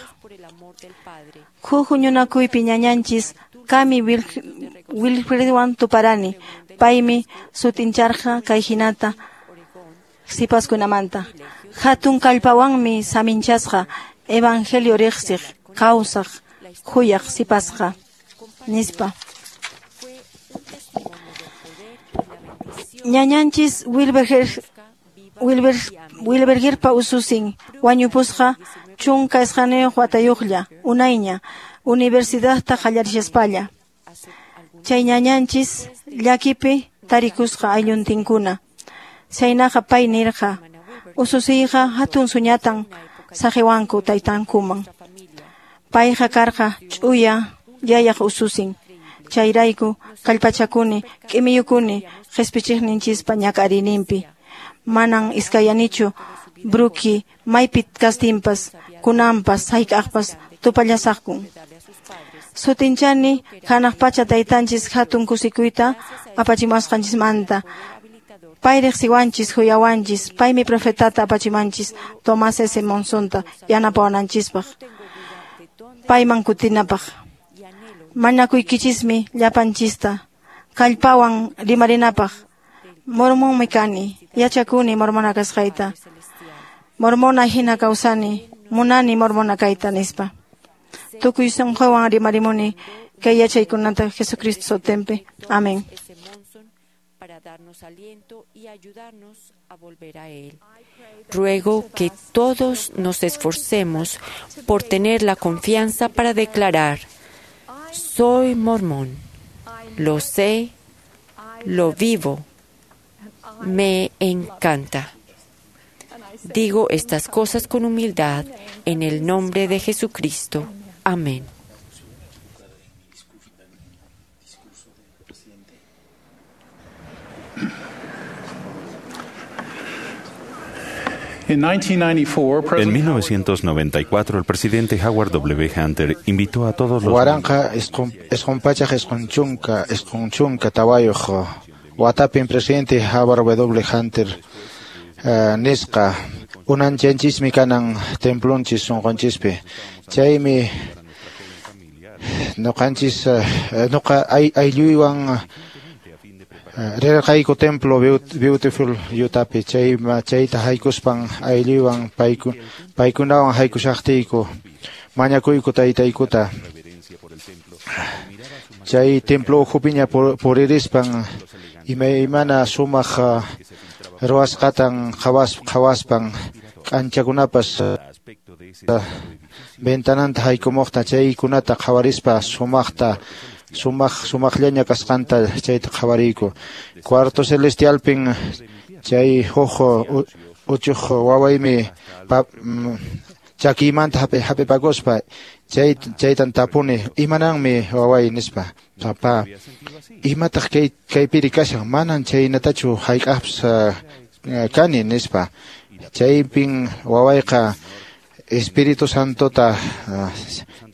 Huk huñunakuypi ñañanchis Kami Wilfredwan tuparani, paymi sutincharqa kay hinata sipaskunamanta. Hatun kallpawanmi saminchasqa evangelio riqsiq kawsaq khuyaq sipasqa nispa. Ñañanchis Wilberger Wilber Wilbergerpa ususin wañupusqa chunka isqaniyuq watayuqlla unayña universidadta qallarishaspaña. Chay ñañanchis llakipi tarikusqa aylluntinkuna. Chaynaqa pay nirqa ususiyqa hatun suñatan saqiwanku taytankuman. Payqa karqa ch'uya yayaq ususin. Chayrayku kallpachakuni k'imiyukuni qhispichiqninchispa ñak'ariyninpi. Manan iskayanichu Bruki maypi kastinpas kunanpas hayk'aqpas tupallasaqkun. Sutinchani hanaq pacha taytanchis hatun kusikuyta apachimuwasqanchismanta. Pay riqsiwanchis huyawanchis, paymi profetata apachimanchis Tomás S. Monsonta yanapawananchispaq, payman kutinapaq. Mañakuykichismi llapanchista kallpawan rimarinapaq. Mormonmi kani, yachakuni mormona kasqayta. Mormona hina kawsani, munani mormona kayta nispa. Tukuy sunquwan rimarimuni kay yachaykunata Jesucristo sutinpi. Amén. Para darnos aliento y ayudarnos a volver a Él. Ruego que todos nos esforcemos por tener la confianza para declarar: soy mormón, lo sé, lo vivo, me encanta. Digo estas cosas con humildad en el nombre de Jesucristo. Amén. En mil novecientos noventa y cuatro, el presidente Howard W. Hunter invitó a todos los... Waranqa isqun pachaq isqun chunka isqun chunka tawayuq watapin presidente Howard W. Hunter uh, nisqa unanchanchishmi kanan templonchis sunqanchispi. Chaymi nuqanchis uh, nuqa aylluywan rirqayku templo Beautiful Utapi chay chayta haykuspan aylluywan payku paykunawan haykushaqtiyku mañakuyku taytaykuta. Chay templo ukhupiña puririspan imaymana sumaq ruwasqatan qhawas qhawaspan k'anchakunapas ventananta haykumuqta chaykunata qhawarispa sumaqta sumaq sumaqllaña kasqanta chayta qhawariyku. Cuarto celestialpin chay huk uchuq wawaymi chakiymanta hapipakuspa chay chaytan tapuni imananmi waway nispa. Papá, imataq kay kaypiri kashan manan chaynatachu hayk'aqpas kani nispa. Chaypin wawayqa Espíritu Santota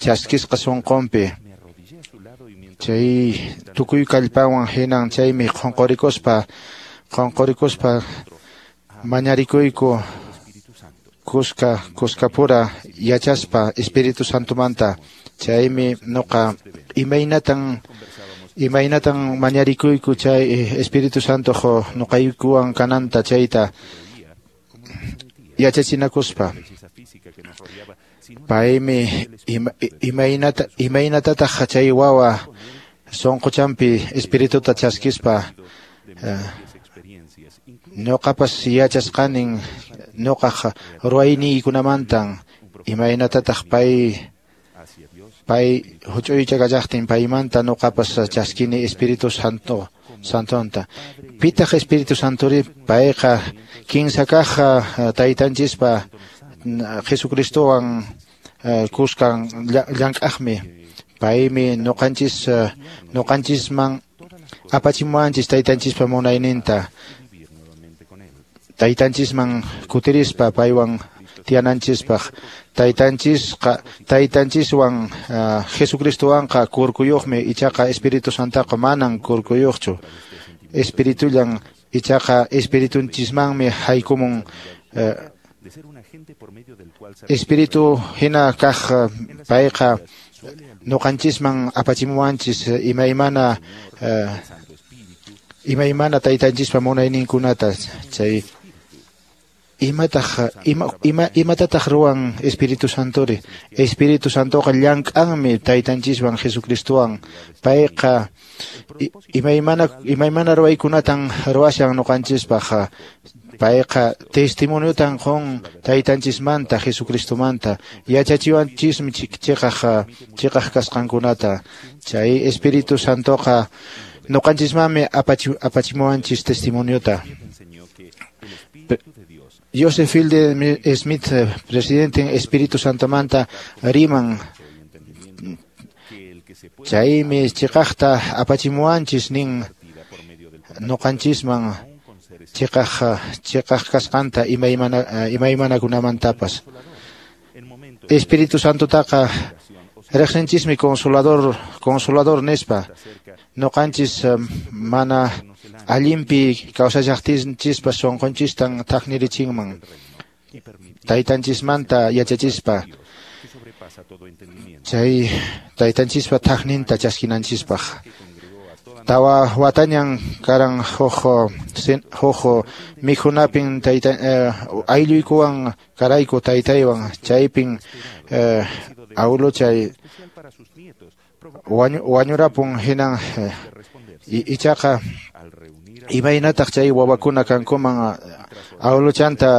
chaskisqa sunqunpi. Chay tukuy kallpawan hinan chaymi qunqurikuspa qunqurikuspa mañarikuyku kuska kuskapura yachaspa Espíritu Santomanta. Chaymi nuqa imaynatan imaynatan mañarikuyku chay Espíritu Santo nuqaykuwan kananta chayta yachachinakuspa. Paymi imaynata imaynatataq chay wawa sunquchanpi espirituta chaskispa nuqapas yachasqanin nuqaq ruwayniykunamantan imaynatataq pay pay huch'uycha kallaqtin paymanta nuqapas chaskini Espíritu Santo Santonta. Pitaq Espíritu Santori payqa kinsa kaq taytanchispa Jesucristowan kuskan llank'aqmi. Paymi nuqanchis nuqanchisman apachimuwanchis taytanchispa munayninta. Taytanchisman kutirispa paywan tiyananchispaq. Taytanchisqa taytanchiswan Jesucristowanqa kurkuyuqmi ichaqa Espíritu Santaqa manan kurkuyuqchu. Espiritullan ichaqa espiritunchismanmi haykumun Espíritu hina kaq payqa ñuqanchisman apachimuwanchis imaymana imaymana taytanchispa munayninkunata. Chay imataq ima ima imatataq ruwan Espíritu Santori? Espíritu Santoqa llank'anmi taytanchiswan Jesucristowan. Payqa imaymana imaymana ruwaykunatan ruwashan ñuqanchispaq. Payqa testimoniotan qun taytanchismanta Jesucristomanta, yachachiwanchismi chiqaq chiqaq kasqankunata. Chay Espíritu Santoqa ñuqanchismanmi apachimuwanchis testimoniota. Joseph Fielding Smith, presidente Espíritu Santomanta riman. Chaymi chiqaqta apachimuwanchis nin ñuqanchisman chiqaq chiqaq kasqanta imaymana imaymanakunamantapas. Espíritu Santotaqa riqsinchismi consolador consolador nispa. Ñuqanchis mana allinpi kawsashaqtinchispa sunqunchistan thaknirichinman taytanchismanta yachachispa, chay taytanchispa thakninta chaskinanchispaq. Tawa watañan karan huk huk mikhunapin tayta aylluykuwan karayku taytaywan, chaypin awiluchay wañurapun hinan ichaqa imaynataq chay wawakuna kankuman awiluchanta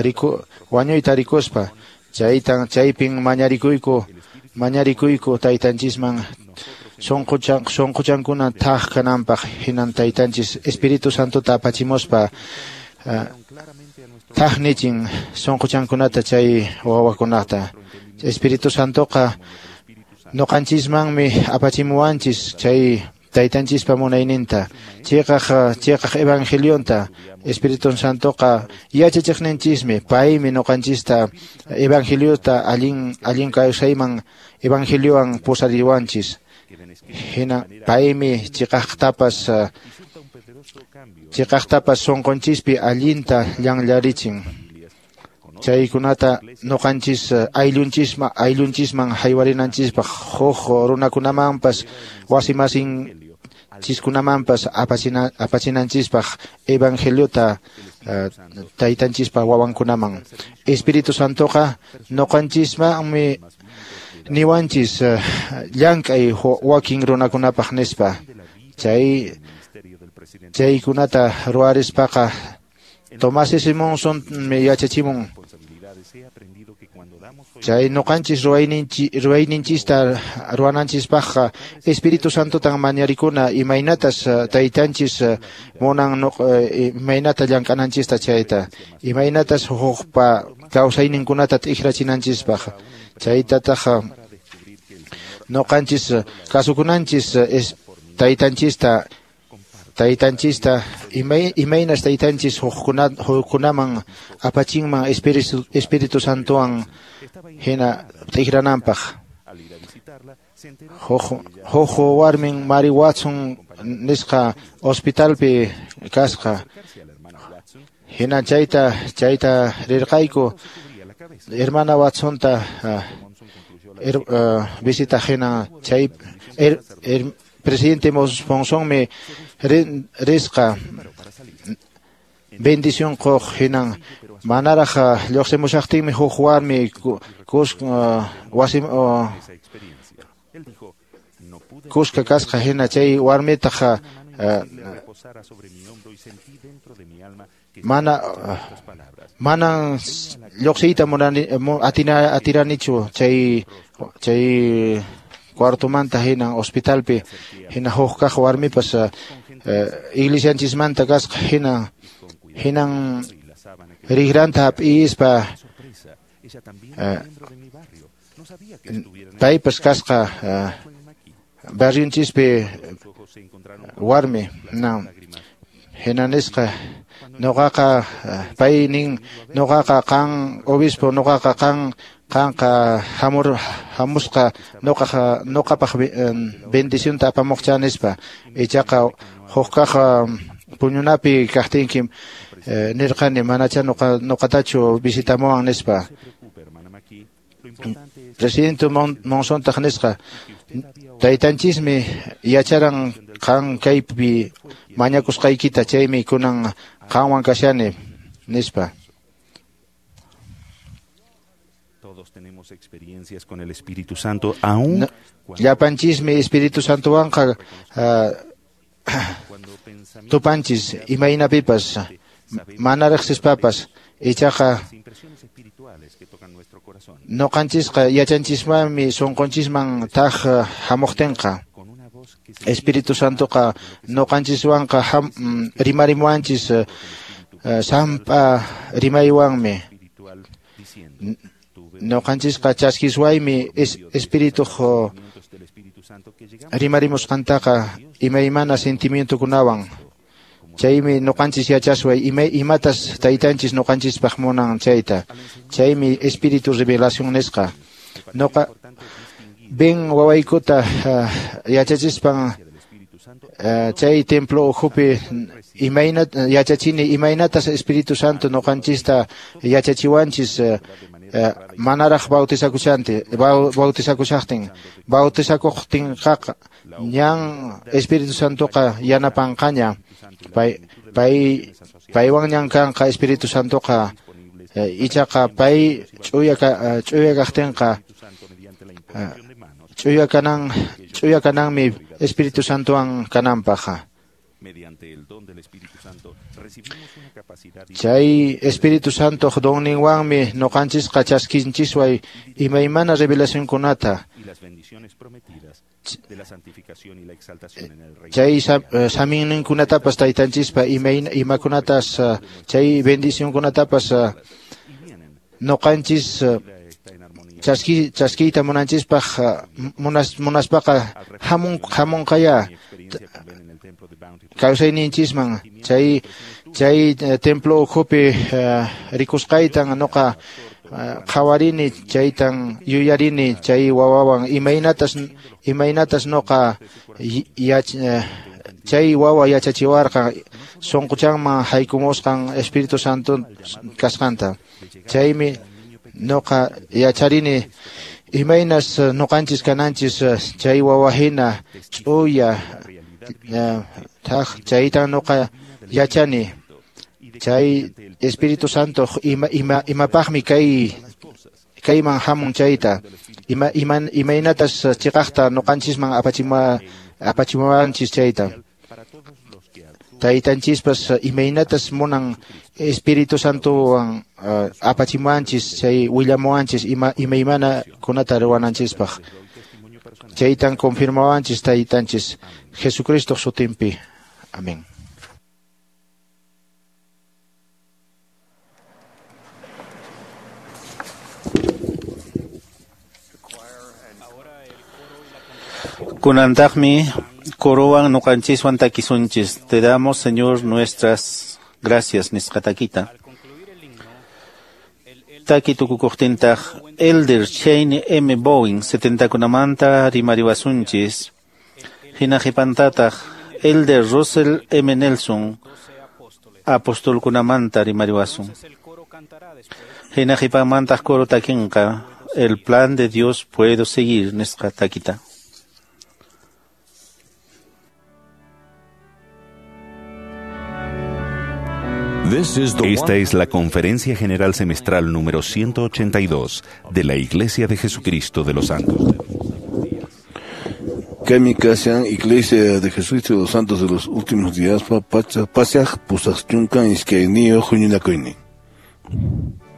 riku wañuyta rikuspa. Chaytan chaypin mañarikuyku mañarikuyku taytanchisman sunquchan sunquchankuna thak kananpaq. Hinan taytanchis Espíritu Santota apachimuspa thaknichin sunquchankunata chay wawakunata. Espíritu Santoqa ñuqanchismanmi apachimuwanchis chay taytanchispa munayninta, chiqaq chiqaq evangelionta. Espíritu Santoqa yachachiqninchismi, paymi ñuqanchista evangeliota allin allin kawsayman evangeliowan pusariwanchis. Hina paymi chiqaqtapas chiqaqtapas sunqunchispi allinta llanllarichin. Chaykunata ñuqanchis ayllunchisma ayllunchisman haywarinanchispaq, huk runakunamanpas wasimasin chiskunamanpas apachina apachinanchispaq evangeliota taytanchispa wawankunaman. Espíritu Santoqa ñuqanchismanmi niwanchis llank'ay wakin runakunapaq nispa. Chay chaykunata ruwarispaqa Tomás S. Monson me yachachimun. Chay ñuqanchis ruwayninchista ruwananchispaqqa Espíritu Santotan mañarikuna imaynatas taytanchis munan imaynata llank'ananchista chayta, imaynatas hukpa kawsayninkunata t'ikrachinanchispaq. Chaytataq ñuqanchis kasukunanchis taytanchista taytanchista imaynas taytanchis hukkunaman apachinman Espíritu Espíritu Santowan hina t'ikrananpaq. Huk warmin Mary Watson nisqa hospitalpi kasqa. Hina chayta chayta rirqayku hermana Watsonta visita hina chay presidente Monsonmi risqa bendición qoq. Hinan manaraq lluqsimushaqtinmi huk warmi wasi kuska kasqa. Hina chay warmitaq mana manan lluqsiyta munani atina atiranichu chay chay cuartomanta. Hinan hospitalpi hina huk kaq warmipas iglesianchismanta kasqa. Hinan hinan riqranta hap'ispa paypas kasqa barrionchispi warmi. Na hina nisqa ñuqaqa pay nin ñuqaqa qan obispo ñuqaqa qan qanqa hamur hamusqa ñuqaqa ñuqapaq bendicionta apamuqcha nispa. Ichaqa huk kaq puñunapi kaqtinkim Nirqani manacha nuqa nuqatachu visitamuwan nispa. Presidente Monsontaq nisqa taytanchismi yacharan qan kaypi mañakusqaykita chaymi kunan qanwan kashani nispa. Todos tenemos experiencias con el Espíritu Santo aún llapanchismi Espíritu Santowanqa tupanchis imaynapipas mana riqsispapas ichaqa noqanchisqa yachanchismanmi sunqunchisman taq hamuqtinqa Espíritu Santoqa noqanchiswanqa rimarimuwanchis sampa rimaywanmi noqanchisqa chaskiswaymi Espírituq rimarimusqantaqa imaymana sentimientokunawan chaymi noqanchis yachasway imatas taytanchis noqanchispaq munan chayta chaymi Espíritu revelación nisqa noqa Ben wawaykuta yachachispan chay templo ukhupi imayna yachachini imaynatas Espíritu Santo noqanchista yachachiwanchis manaraq bautizakushante bautizakushaqtin bautizakuqtinqaqa ñan Espíritu Santoqa yanapanqaña pay pay paywan ñan kanqa Espíritu Santoqa ichaqa pay ch'uya ch'uya kaqtinqa ch'uya kanan ch'uya kananmi Espíritu Santowan kananpaq. Chay Espíritu Santo donninwanmi noqanchisqa chaskinchisway imaymana revelacionkunata chay saminninkunatapas taytanchispa imakunatas chay bendicionkunatapas noqanchis chaski chaskiyta munanchispaq munas munaspaqa hamun hamunqaya kawsayninchisman chay chay templo ukhupi rikusqaytan noqa qhawarini chaytan yuyarini chay wawawan imaynatas imaynatas noqa chay wawa yachachiwarqan sunquchanman haykumusqan Espíritu Santo kasqanta chaymi noqa yacharini imaynas noqanchis kananchis chay wawa hina ch'uya thaq chaytan noqa yachani chay Espíritu Santo ima ima imapaqmi kay kayman hamun chayta ima iman imaynatas chiqaqta noqanchisman apachima apachimuwanchis chayta taytanchispas imaynatas munan Espíritu Santowan apachimuwanchis chay willamuwanchis ima imaymana kunata ruwananchispaq chaytan confirmawanchis taytanchis Jesucristo sutinpi. Amén. Kunantaqmi corowan noqanchiswan takisunchis. Te damos, Señor, nuestras gracias nisqa takita. Taki tukukuqtintaq Elder Shane M. Bowen setentakunamanta rimariwasunchis. Hina qipantataq Elder Russell M. Nelson apostolkunamanta rimariwasun. Hina qipanmantaq coro takinqa El plan de Dios puedo seguir nisqa takita. Esta es la Conferencia General Semestral número ciento ochenta y dos de la Iglesia de Jesucristo de los Santos. Kaymi kashan Iglesia de Jesucristo de los Santos de los Últimos Días pacha pasaq pusaq chunka iskayniyuq huñunakuynin. Thank you.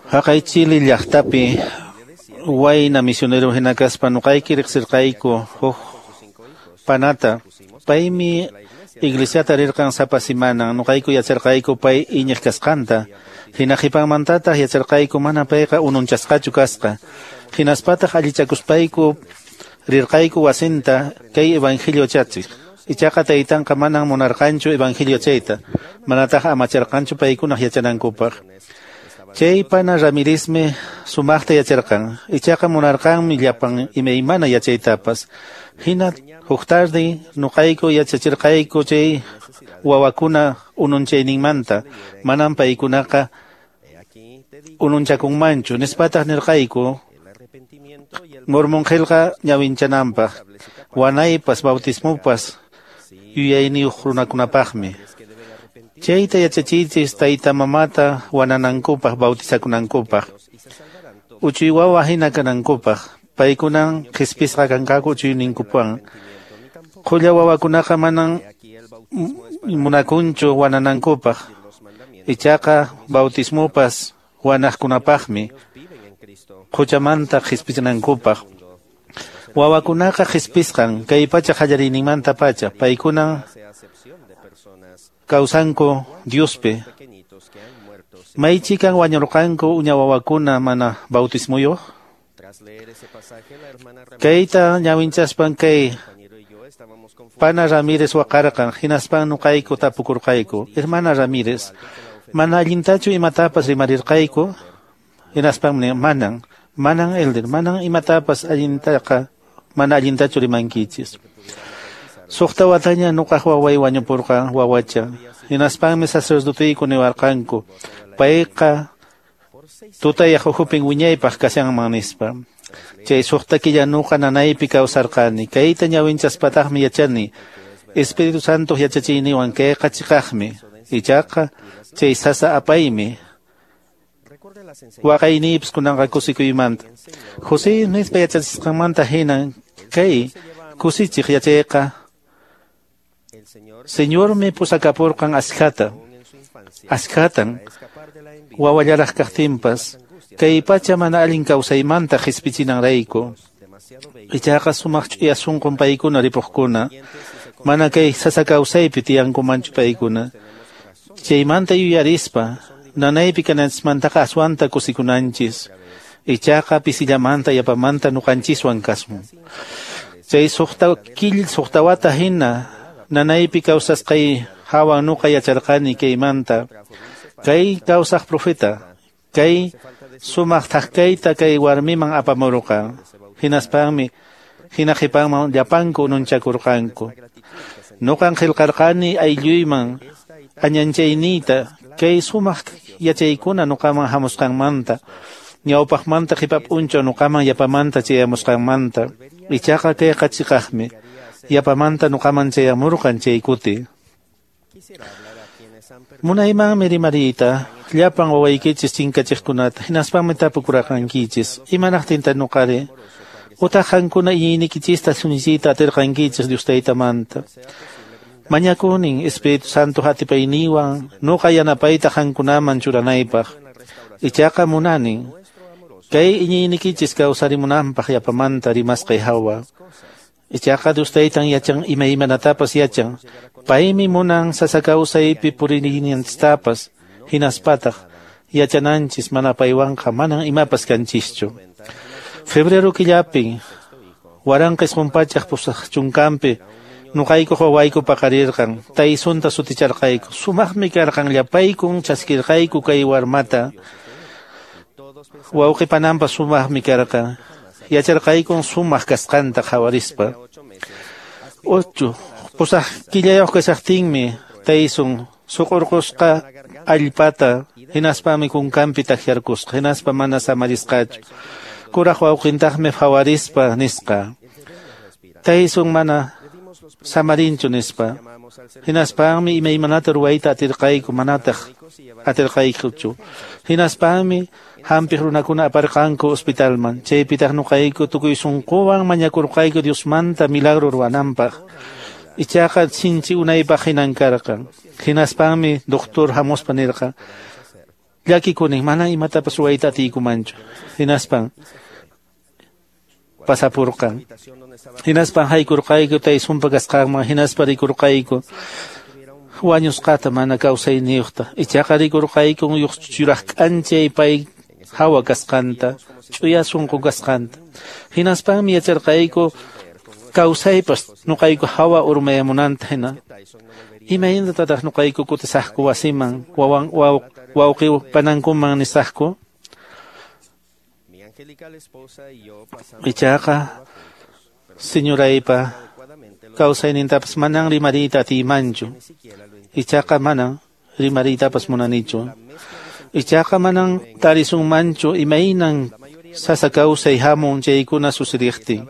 Haqay Chile llaqtapi wayna misionero hina kaspa nuqayki riqsirqayku huk panata. Paymi iglesiata rirqan sapa simana, nuqayku yacharqayku pay iñiq kasqanta. Hina qhipanmantataq yacharqayku mana payqa ununchasqachu kasqa. Hinaspataq allichakuspayku rirqayku wasinta kay evangelio chachiq. Ichaqa taytanqa manan munarqanchu evangelio chayta, manataq amacharqanchu paykunaq yachanankupaq. Chay pana Ramírezmi sumaqta yacharqan, ichaqa munarqanmi llapan imaymana yachaytapas. Hina huk tardi nuqayku yachachirqayku chay wawakuna ununchayninmanta, manan paykunaqa ununchakunmanchu, nispataq nirqayku Mormon qillqa ñawinchananpaq, wanaypas bautismopas yuyayniyuq runakunapaqmi. Chayta yachachiychis tayta mamata wananankupaq bautizakunankupaq, uchuy wawa hina kanankupaq, paykunan qhispisqa kanqaku uchuyninkupan. Qhulla wawakunaqa manan munakunchu wananankupaq, ichaqa bautismopas wanaqkunapaqmi, quchamanta qhispichinankupaq. Wawakunaqa qhispisqan kay pacha qallariyninmanta pacha, paykunan kawsanku Diospi. Maychikan wañurqanku uña wawakuna mana bautismuyuq? Kayta ñawinchaspan kay pana Ramírez waqarqan, hinaspan nuqayku tapukurqayku. Hermana Ramírez, mana allintachu imatapas rimarirqayku? Hinaspan manan, manan elder, manan imatapas allintaqa, mana allintachu rimankichis. Suqta wataña nuqaq waway wañupurqan wawacha. Hinaspanmi sacerdoteyku niwarqanku, payqa tutayaq ukhupin wiñaypaq kashanman nispa. Chay suqta killa nuqa nanaypi kawsarqani. Kayta ñawinchaspataqmi yachani. Espíritu Santo yachachiyniwan kayqa chiqaqmi. Ichaqa chay sasa apaymi. Waqayniypis kunanqa kusikuymanta. José nispa yachachisqanmanta hinan kay kusichiq yachayqa Señormi pusakapurqan askhata, askhatan wawallaraq kaqtinpas, kay pacha mana allin kawsaymanta qhispichinanrayku. Ichaqa sumaq ch'uya sunqun paykuna ripuqkuna, mana kay sasa kawsaypi tiyankumanchu paykuna. Chaymanta yuyarispa, nanaypi kananchismantaqa aswanta kusikunanchis, ichaqa pisillamanta yapamanta nuqanchiswan kasun. Chay suqta kill suqta wata hina nanaypi kawsasqay hawa nuqa yacharqani kaymanta. Kay kawsaq profeta, kay sumaq thaqkayta kay warmiman apamurqa. Hinaspanmi hina qhipanman llapanku ununchakurqanku. Nuqan qillqarqani aylluyman añanchayniyta kay sumaq yachaykuna nuqaman hamusqanmanta, ñawpaqmanta qhipa p'unchaw nuqaman yapamanta chayamusqanmanta. Ichaqa kayqa chiqaqmi, yapamanta nuqaman chayamurqan chay kuti. Munaymanmi rimariyta llapan wawaykichis chinkachiqkunata, hinaspanmi tapukurqankichis, imanaqtinta nuqari utaq qankuna iñiynikichista sunichiyta atirqankichis Dios taytamanta. Mañakunin Espíritu Santo atipayniwan nuqa yanapayta qankunaman churanaypaq. Ichaqa munanin kay iñiynikichis kawsarimunanpaq yapamanta rimasqay hawa. Ichaqa Dios taytan yachan imaymanatapas yachan. Paymi munan sasa kawsaypi purininanchistapas, hinaspataq yachananchis mana paywanqa manan imapas kanchischu. Febrero killapi waranqa isqun pachaq pusaq chunkanpi nuqayku wawayku paqarirqan, Taysunta suticharqayku. Sumaqmi karqan, llapaykun chaskirqayku kay warmata. Wawqi pananpas sumaqmi karqan. Yacharqaykun sumaq kasqanta qhawarispa. Ocho pusaq killayuq kashaqtinmi Taysun suqurqusqa allpata, hinaspami kunkanpi takyarkusqa, hinaspa mana samarisqachu. Kuraq wawqintaqmi phawarispa nisqa, Taysun mana samarinchu nispa. Hinaspanmi imaymanata ruwayta atirqayku, manataq atirqaykuchu. Hinaspanmi hampiq runakuna aparqanku hospitalman. Chaypitaq nuqayku tukuy sunquwan mañakurqayku Diosmanta milagro ruwananpaq. Ichaqa sinchi unaypaq hinan karqan. Hinaspanmi doctor hamuspa nirqan, llakikunin, mana imatapas ruwayta atiykumanchu. Hinaspan pasapurqan. Hinaspan haykurqayku Tysonpa kasqanman, hinaspa rikurqayku wañusqata mana kawsayniyuqta. Ichaqa rikurqayku yuraq k'anchay pay hawa kasqanta, ch'uya sunqu kasqanta. Hinaspanmi yacharqayku kawsaypas nuqayku hawa urmayamunanta hina. Imaynatataq nuqayku kutisaqku wasiman, wawan wawqi panankuman nisaqku? Ichaqa señoraypa kawsaynintapas manan rimariyta atiymanchu. Ichaqa manan rimariytapas munanichu. Ichaqa manan tarisunmanchu imaynan sasa kawsay hamun chaykuna sucediqtin.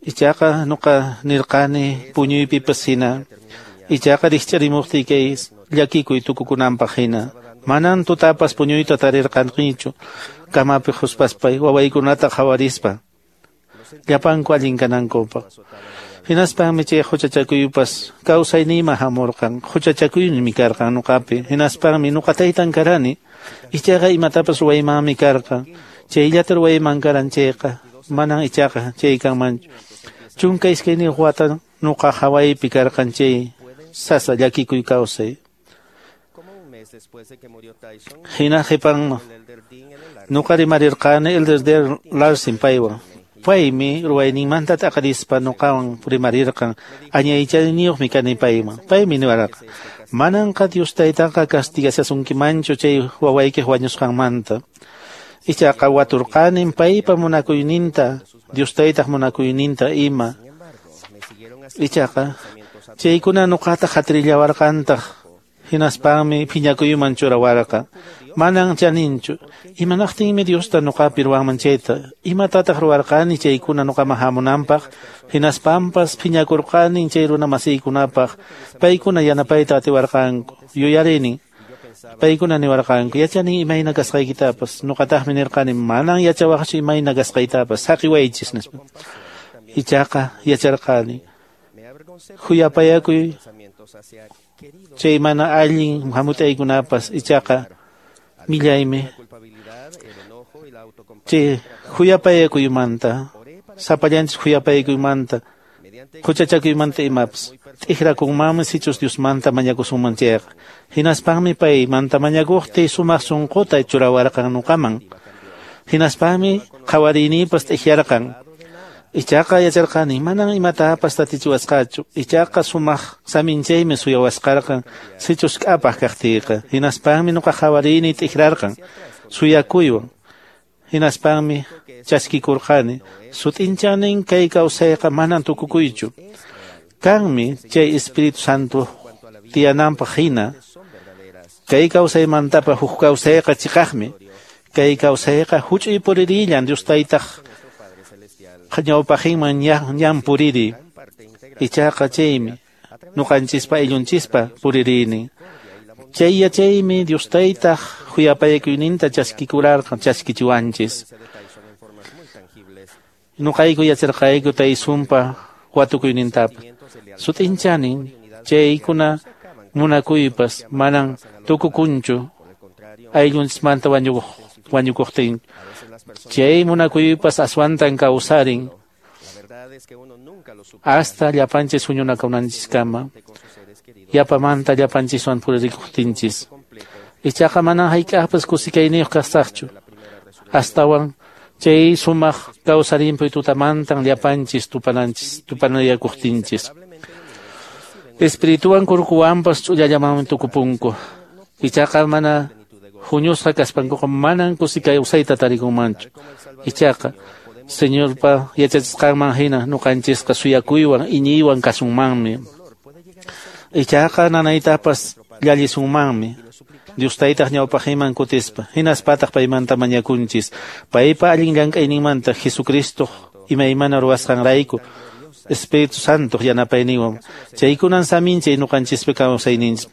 Ichaqa nuqa nirqani puñuypipas hina. Ichaqa rikch'arimuqtiy kay llakikuy tukukunanpaq hina. Manan tutapas puñuyta tarirqanichu kamapi quspaspay wawaykunata qhawarispa llapanku allin kanankupaq. Hinaspanmi chay huchachakuypas kawsayniyman hamurqan. Huchachakuymi karqan nuqapi. Hinaspanmi nuqa taytan karani. Ichaqa imatapas ruwaymanmi karqan. Chayllata ruwayman karan chayqa manan ichaqa chay kanmanchu. Chunka iskayniyuq wata nuqa hawaypi karqan chay sasa llakikuy kawsay. Hina qhipan nuqa rimarirqani Elder D. Larson paywan. Paymi ruwayninmanta t'aqarispa nuqawan rimarirqan. Añaychayniyuqmi kani payman. Paymi niwarqan, mananqa Dios taytanqa castigashasunkimanchu chay wawaykiq wañusqanmanta. Ichaqa waturqanin paypa munakuyninta, Dios taytaq munakuyninta ima. Ichaqa chaykuna nuqata qatirillawarqantaq. Hinaspanmi phiñakuyman churawarqa. Manan chaninchu. Imanaqtinmi Diosta nuqapi ruwanman chayta? Imatataq ruwarqani chaykuna nuqaman hamunanpaq? Hinaspanpas phiñakurqani chay runa masiykunapaq. Paykuna yanapayta atiwarqanku. Yuyarinin. Paykuna niwarqanku, yachani imayna kasqaykitapas. Nuqataqmi nirqani, manan yachawaqchu imayna kasqaytapas. Saqiwaychis nispa. Ichaqa yacharqani. Huyapayakuy chay mana allin hamut'aykunapas ichaqa millaymi. Chay huyapayakuymanta, sapallanchis huyapayakuymanta, huchachakuymanta imapas t'ikrakunmanmi sichus Diosmanta mañakusunman chayqa. Hinaspanmi paymanta mañakuqtiy sumaq sunquta churawarqan nuqaman. Hinaspanmi qhawariyninpas t'ikyarqan. Ichaqa yacharqani manan imatapas tatichiwasqachu. Ichaqa sumaq saminchaymi suyawasqarqan sichus k'apaq kaqtiyqa. Hinaspanmi nuqa qhawariyni t'ikrarqan suyakuywan. Hinaspanmi chaskikurqani. Sut'inchanin kay kawsayqa manan tukukuychu. Kanmi chay Espíritu Santo tiyananpaq hina. Kay kawsaymantapa huk kawsayqa chiqaqmi. Kay kawsayqa huch'uy puririllan Dios taytaq ñawpaqinman ñan puriri. Ichaqa chaymi nuqanchispa ayllunchispa puririni. Chay yachaymi Dios taytaq khuyapayakuyninta chaskikurarqan chaskichiwanchis. Nuqayku yacharqayku Tysonpa watukuynintapas. Sut'inchanin chaykuna munakuypas manan tukukunchu ayllunchismanta wañukuq wañukuqtin. Chay munakuypas aswantan kawsarin hasta llapanchis huñunakunanchiskama. Yapamanta llapanchiswan puririkuqtinchis. Ichaqa manan hayk'aqpas kusikayniyuq kasaqchu. Astawan chay sumaq kawsarinpuy tutamantan llapanchis tupananchis tupanayakuqtinchis. Espirituwan kurkuwanpas ch'ullallamanmi tukupunku. Ichaqa mana huñusqa kaspankuqa manan kusi kawsayta tarikunmanchu. Ichaqa Señorpa yachachisqanman hina nuqanchisqa suyakuywan iñiywan kasunmanmi. Ichaqa nanaytapas llallisunmanmi. Dios taytaq ñawpaqinman kutispa hinaspataq paymanta mañakunchis. Paypa allin llank'ayninmanta Jesucristo imaymana ruwasqanrayku Espíritu Santo yanapayninwan. Chaykunan saminchay nuqanchispi kawsayninchis.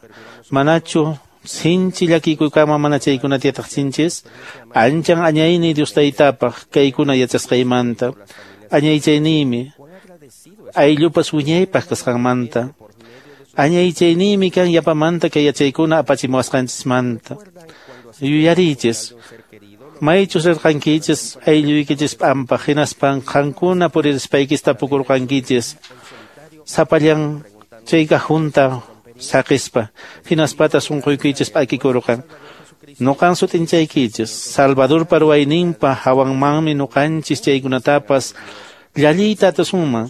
Manachu sinchi llakikuykama mana chaykunata yataqchinchis? Anchan añayni Dios taytapaq kaykuna yachasqaymanta. Añaychayniymi ayllupas wiñaypaq kasqanmanta. Añaychayniymi kan yapamanta kay yachaykuna apachimuwasqanchismanta. Yuyariychis, maychus rirqankichis aylluykichis p'ampaq, hinaspan qankuna puririspaykichis tapukurqankichis sapallan chay kajunta saqispa, hinaspata sunquykichis p'akikurqan. Nuqan sut'inchaykichis, Salvadorpa ruwayninpa hawanmanmi nuqanchis chaykunatapas llalliyta atisunman,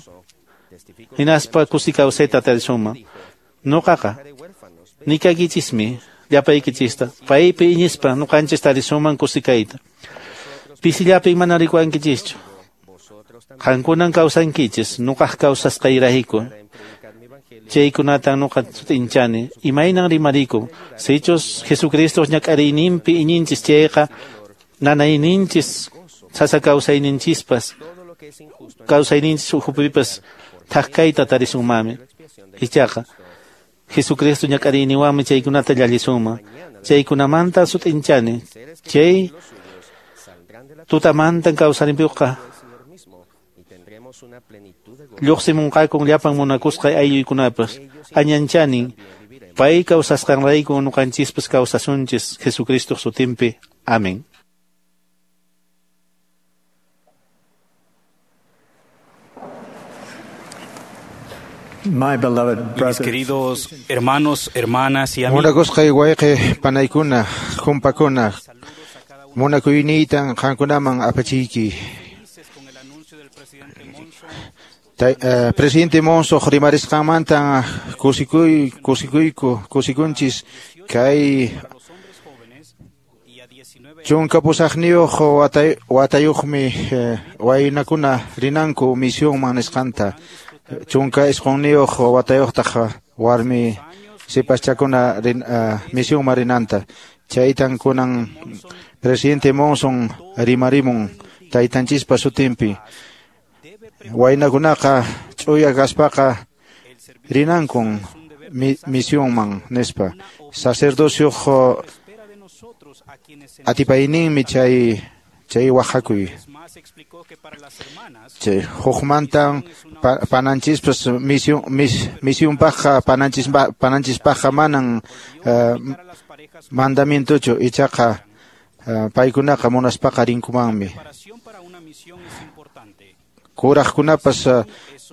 hinaspa kusi kawsayta atarisunman. Nuqaqa nikaykichismi llapaykichista, paypi iñispa nuqanchis tarisunman kusikayta. Pisillapi mana rikuwankichischu, qankunan kawsankichis nuqaq kawsasqayrayku. Chaykunatan nuqa sut'inchani, imaynan rimarikun, sichus Jesucristo ñak'ariyninpi iñinchis chayqa nanayninchis sasa kawsayninchispas kawsayninchis ukhupipas thak kayta tarisunmanmi. Ichaqa Jesucristo ñak'ariyninwanmi chaykunata llallisunman. Chaykunamanta sut'inchani, chay tutamantan kawsarinpiqa lluqsimunqakun llapan munakusqay aylluykunapas. Añanchanin, pay kawsasqanrayku nuqanchispas kawsasunchis Jesucristo sutinpi. Amén. My beloved Mis brothers, queridos hermanos, hermanas y amigos, Munakusqay wayqi panaykuna, kumpakuna, munakuyniytan qankunaman apachiyki. Tay, eh, presidente Monson rimarisqanmantan kusikuy kusikuyku kusikunchis kay chunka pusaqniyuq watay watayuqmi eh, waynakuna rinanku misionman nisqanta. Chunka isqunniyuq watayuqtaq warmi sipaschakuna rin, uh, misionman rinanta. Chaytan kunan presidente Monson rimarimun taytanchispa sutinpi. Waynakunaqa ch'uya kaspaqa rinankun mi, misionman nispa. Sacerdocioq atipayninmi chay chay waqhakuy. Chay hukmantan pa, pananchispas mision mis, misionpaqqa pananchispa pananchispaqqa manan uh, mandamientochu, ichaqa uh, paykunaqa munaspaqa rinkumanmi. Kuraqkunapas uh,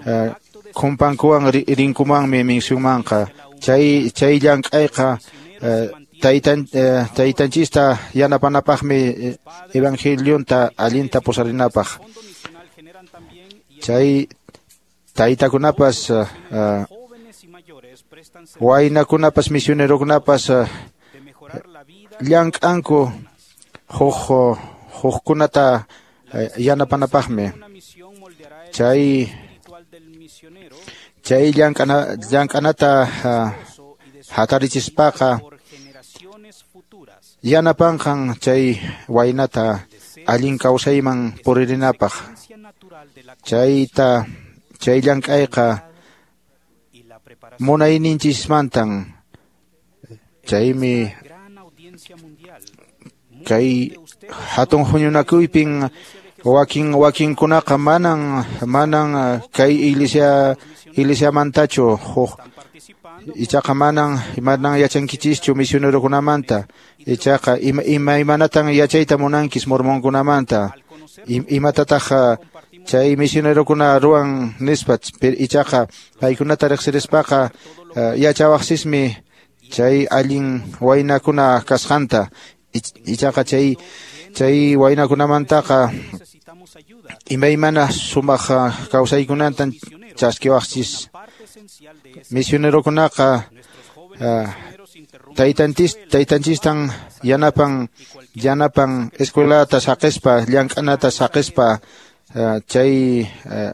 uh, kumpankuwan rinkumanmi misionmanqa. Chay chay llank'ayqa uh, taytan uh, taytanchista yanapanapaqmi evangelionta allinta pusarinapaq. Chay taytakunapas uh, uh, waynakunapas misionerokunapas uh, llank'anku huk hukkunata uh, yanapanapaqmi. Chay chay llank'ana llank'anata uh, hatarichispaqa yanapanqan chay waynata allin kawsayman puririnapaq. Chayta chay llank'ayqa munayninchismantan. Chaymi kay hatun huñunakuypin wakin wakinkunaqa manan manan kay iglesia iglesiamantachu huk ichaqa manan manan yachankichischu misionerokunamanta. Ichaqa ima imaymanatan yachayta munankis mormonkunamanta. Imatataq chay misionerokuna ruwan nispa, ichaqa paykunata riqsirispaqa yachawaqsismi chay allin waynakuna kasqanta. Ichaqa chay chay waynakunamantaqa imaymana sumaq kawsaykunatan chaskiwaqchis. Misionerokunaqa uh, taytanchis taytanchistan yanapan yanapan escuelata saqispa llank'anata saqispa uh, chay uh,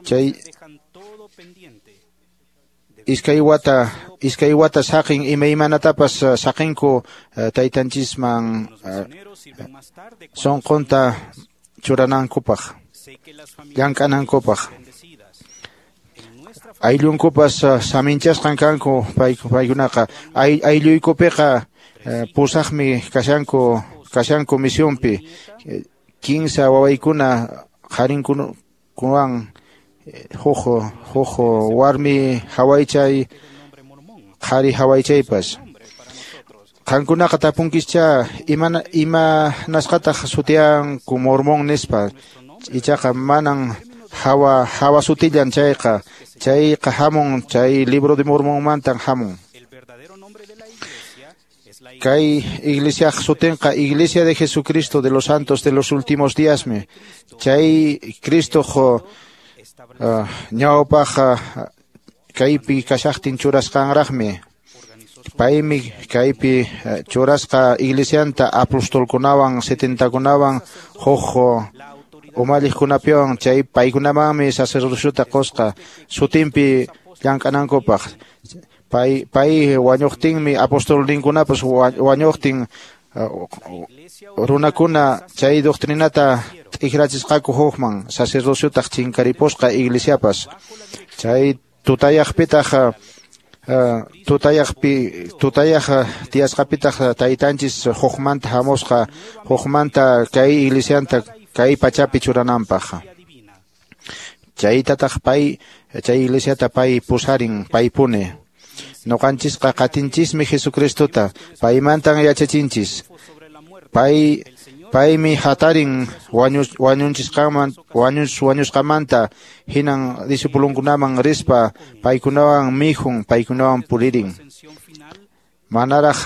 chay iskay wata iskay wata saqin imaymanatapas uh, saqinku uh, taytanchisman uh, sunqunta churanankupaq llank'anankupaq. Ayllunkupas uh, saminchasqan kanku paykunaqa. Ay, aylluykupiqa uh, pusaqmi kashanku kashanku misionpi. Kinsa wawaykuna qharinkunawan huk huk warmi hawaychay qhari hawaychaypas. Qankunaqa tapunkischa imana imanasqataq sutiyanku mormón nispa, ichaqa manan hawa hawa sutillan chayqa, chayqa hamun chay libro de Mormonmantan hamun. Kay iglesia sutinqa Iglesia de Jesucristo de los Santos de los Últimos Días me. Chay Cristo jo uh, ñawpaq kaypi kashaqtin churasqanraqmi. Paymi kaypi uh, churasqa iglesianta apostolkunawan setentakunawan huk umalliqkunapiwan, chay paykunamanmi sacerdociota qusqa sutinpi llank'anankupaq. Pay pay wañuqtinmi apostolninkunapas wañuqtin runakuna chay doctrinata t'ikrachisqaku hukman sacerdociotaq chinkaripusqa iglesiapas. Chay tutayaqpitaq uh, tutayaqpi tutayaq tiyasqapitaq taytanchis hukmanta hamusqa hukmanta kay iglesianta kay pachapi churananpaq. Chaytataq pay chay iglesiata pay pusarin paypuni. Noqanchisqa qatinchismi Jesucristota, paymantan yachachinchis. Pay paymi hatarin wañus wañunchisqaman wañus wañusqamanta hinan discipulunkunaman rispa paykunawan mijun paykunawan puririn. Manaraq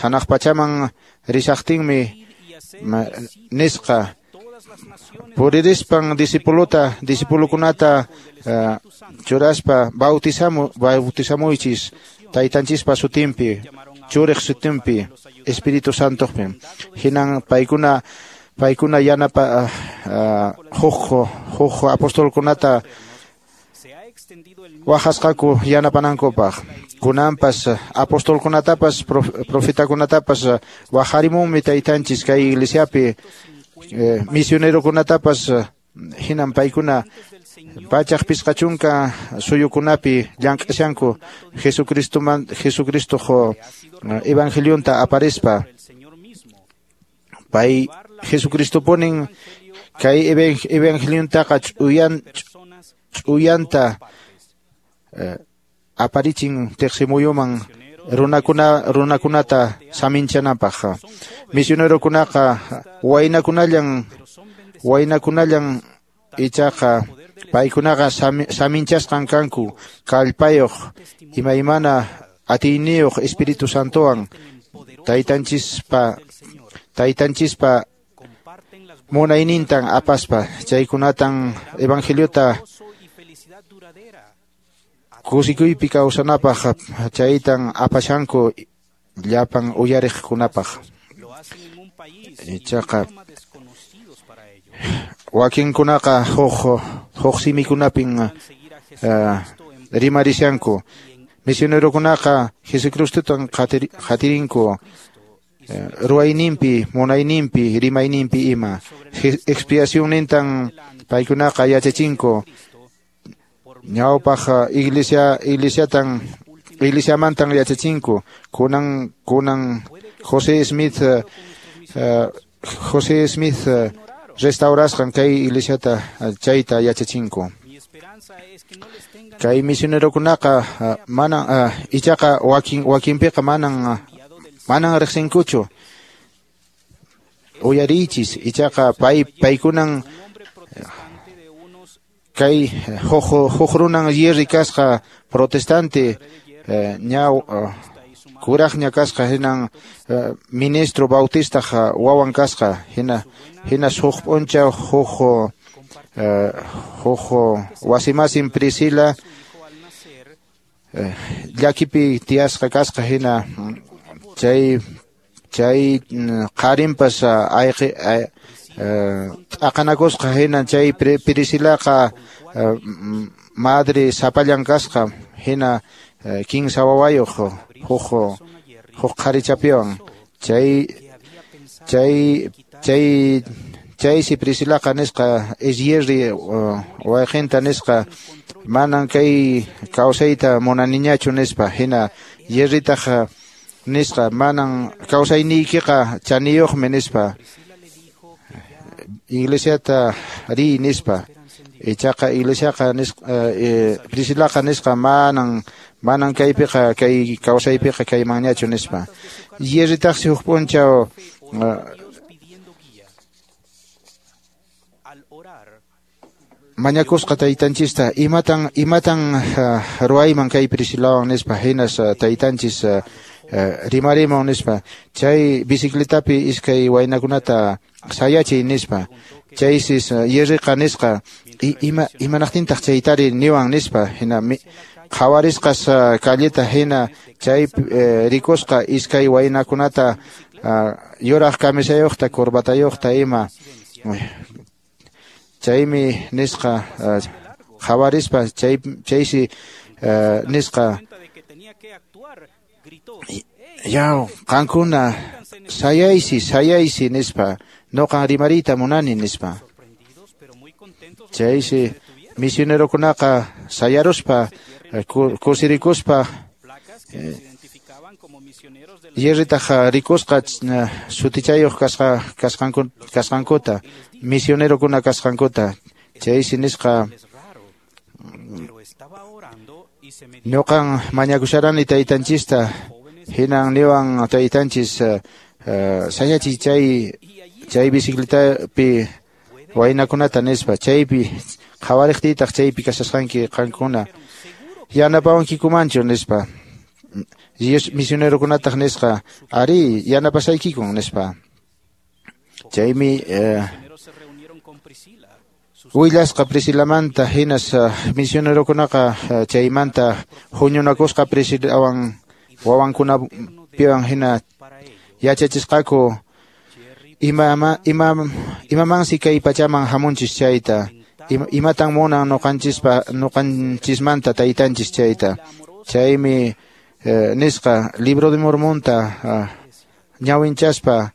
hanaq pachaman rishaqtinmi nisqa puririspan discipuluta discipulukunata uh, churaspa bautizamu bautizamuychis taytanchispa sutinpi churiq sutinpi Espíritu Santopi. Hinan paykuna paykuna yanapa uh, huk huk apostolkunata waqasqaku yanapanankupaq. Kunanpas apostolkunatapas prof, profetakunatapas waqarimunmi taytanchis kay iglesiapi eh, misionerokunatapas hinan paykuna pachaq pisqachunka suyukunapi llank'ashanku Jesucristoman Jesucristoq evangelionta aparispa. Pay Jesucristopunin kay evangeliontaqa ch'uyan ch'uyanta eh, aparichin tiqsimuyuman runakuna runakunata saminchanapaq. Misionerokunaqa waynakunallan waynakunallan ichaqa paykunaqa saminchasqan kanku kallpayuq imaymana atiyniyuq Espíritu Santowan taytanchispa taytanchispa munaynintan apaspa chaykunatan evangeliota kusikuypi kawsanapaq chaytan apashanku llapan uyariqkunapaq. Ichaqa wakinkunaqa huk huk simikunapin uh, rimarishanku. Misionerokunaqa Jesucristotan qatirinku uh, ruwayninpi, munayninpi, rimayninpi ima. Expiacionnintan paykunaqa yachachinku. Ñawpaq iglesia iglesiatan iglesiamantan yachachinku. Kunan kunan José Smith uh, José Smith uh, restaurasqan kay iglesiata chayta yachachinku. Kay misionerokunaqa uh, manan uh, ichaqa wakin wakinpiqa manan uh, manan riqsinkuchu. Uyariychis ichaqa pay paykunan kay huk huk runan yerri kasqa protestante eh, ña uh, kuraqña kasqa hinan uh, ministro bautistaq wawan kasqa hina hina huk p'unchaw huk uh, huk wasimasin Priscila uh, llakipi tiyasqa kasqa hina chay chay qarinpas ayqi t'aqanakusqa hina chay Priscilaqa madre sapallan kasqa hina kinsa wawayuq huk huk qharichapiwan chay chay chay chaysi Priscilaqa nisqa Esyerri wayqinta nisqa manan kay kawsayta munaniñachu nispa hina Yerritaq nisqa manan kawsayniykiqa chaniyuqmi nispa iglesiata riy nispa Ichaqa iglesiaqa nisqa eh, Priscilaqa nisqa manan manan kaypiqa kay kawsaypiqa kaymanñachu nispa. Yerritaqsi huk p'unchaw mañakusqa taytanchista imatan imatan uh, ruwayman kay Priscilawan nispa hinas uh, taytanchis uh, uh, rimarimun nispa chay bicicletapi iskay waynakunata sayachiy nispa chaysis uh, yerriqa nisqa ima imanaqtintaq chaytari niwan nispa hina qhawarisqas uh, calleta hina chay uh, rikusqa iskay waynakunata uh, yuraq camisayuqta corbatayuqta ima chaymi nisqa qhawarispa chay chaysi nisqa yaw qankuna sayaysi sayaysi nispa noqan rimariyta munani nispa chaysi misionerokunaqa sayaruspa kusirikuspa yerritaq rikusqa sutichayuq kasqa kasqanku kasqankuta misionerokuna kasqankuta chaysi nisqa ñuqan mañakusharani taytanchista hinan niwan taytanchis sayachiy chay chay bicicletapi waynakunata nispa chaypi qhawariqtiytaq chaypi kashasqanki qankuna yanapawankikumanchu nispa misionerokunataq nisqa ari yanapasaykikun nispa chaymi willasqa Priscilamanta hinas misionerokunaqa chaymanta huñunakusqa Priscilawan wawankunapiwan hina yachachisqaku ima ima imamansi kay pachaman hamunchis chayta imatan munan nuqanchispa nuqanchismanta taytanchis chayta chaymi nisqa Libro de Mormonta ñawinchaspa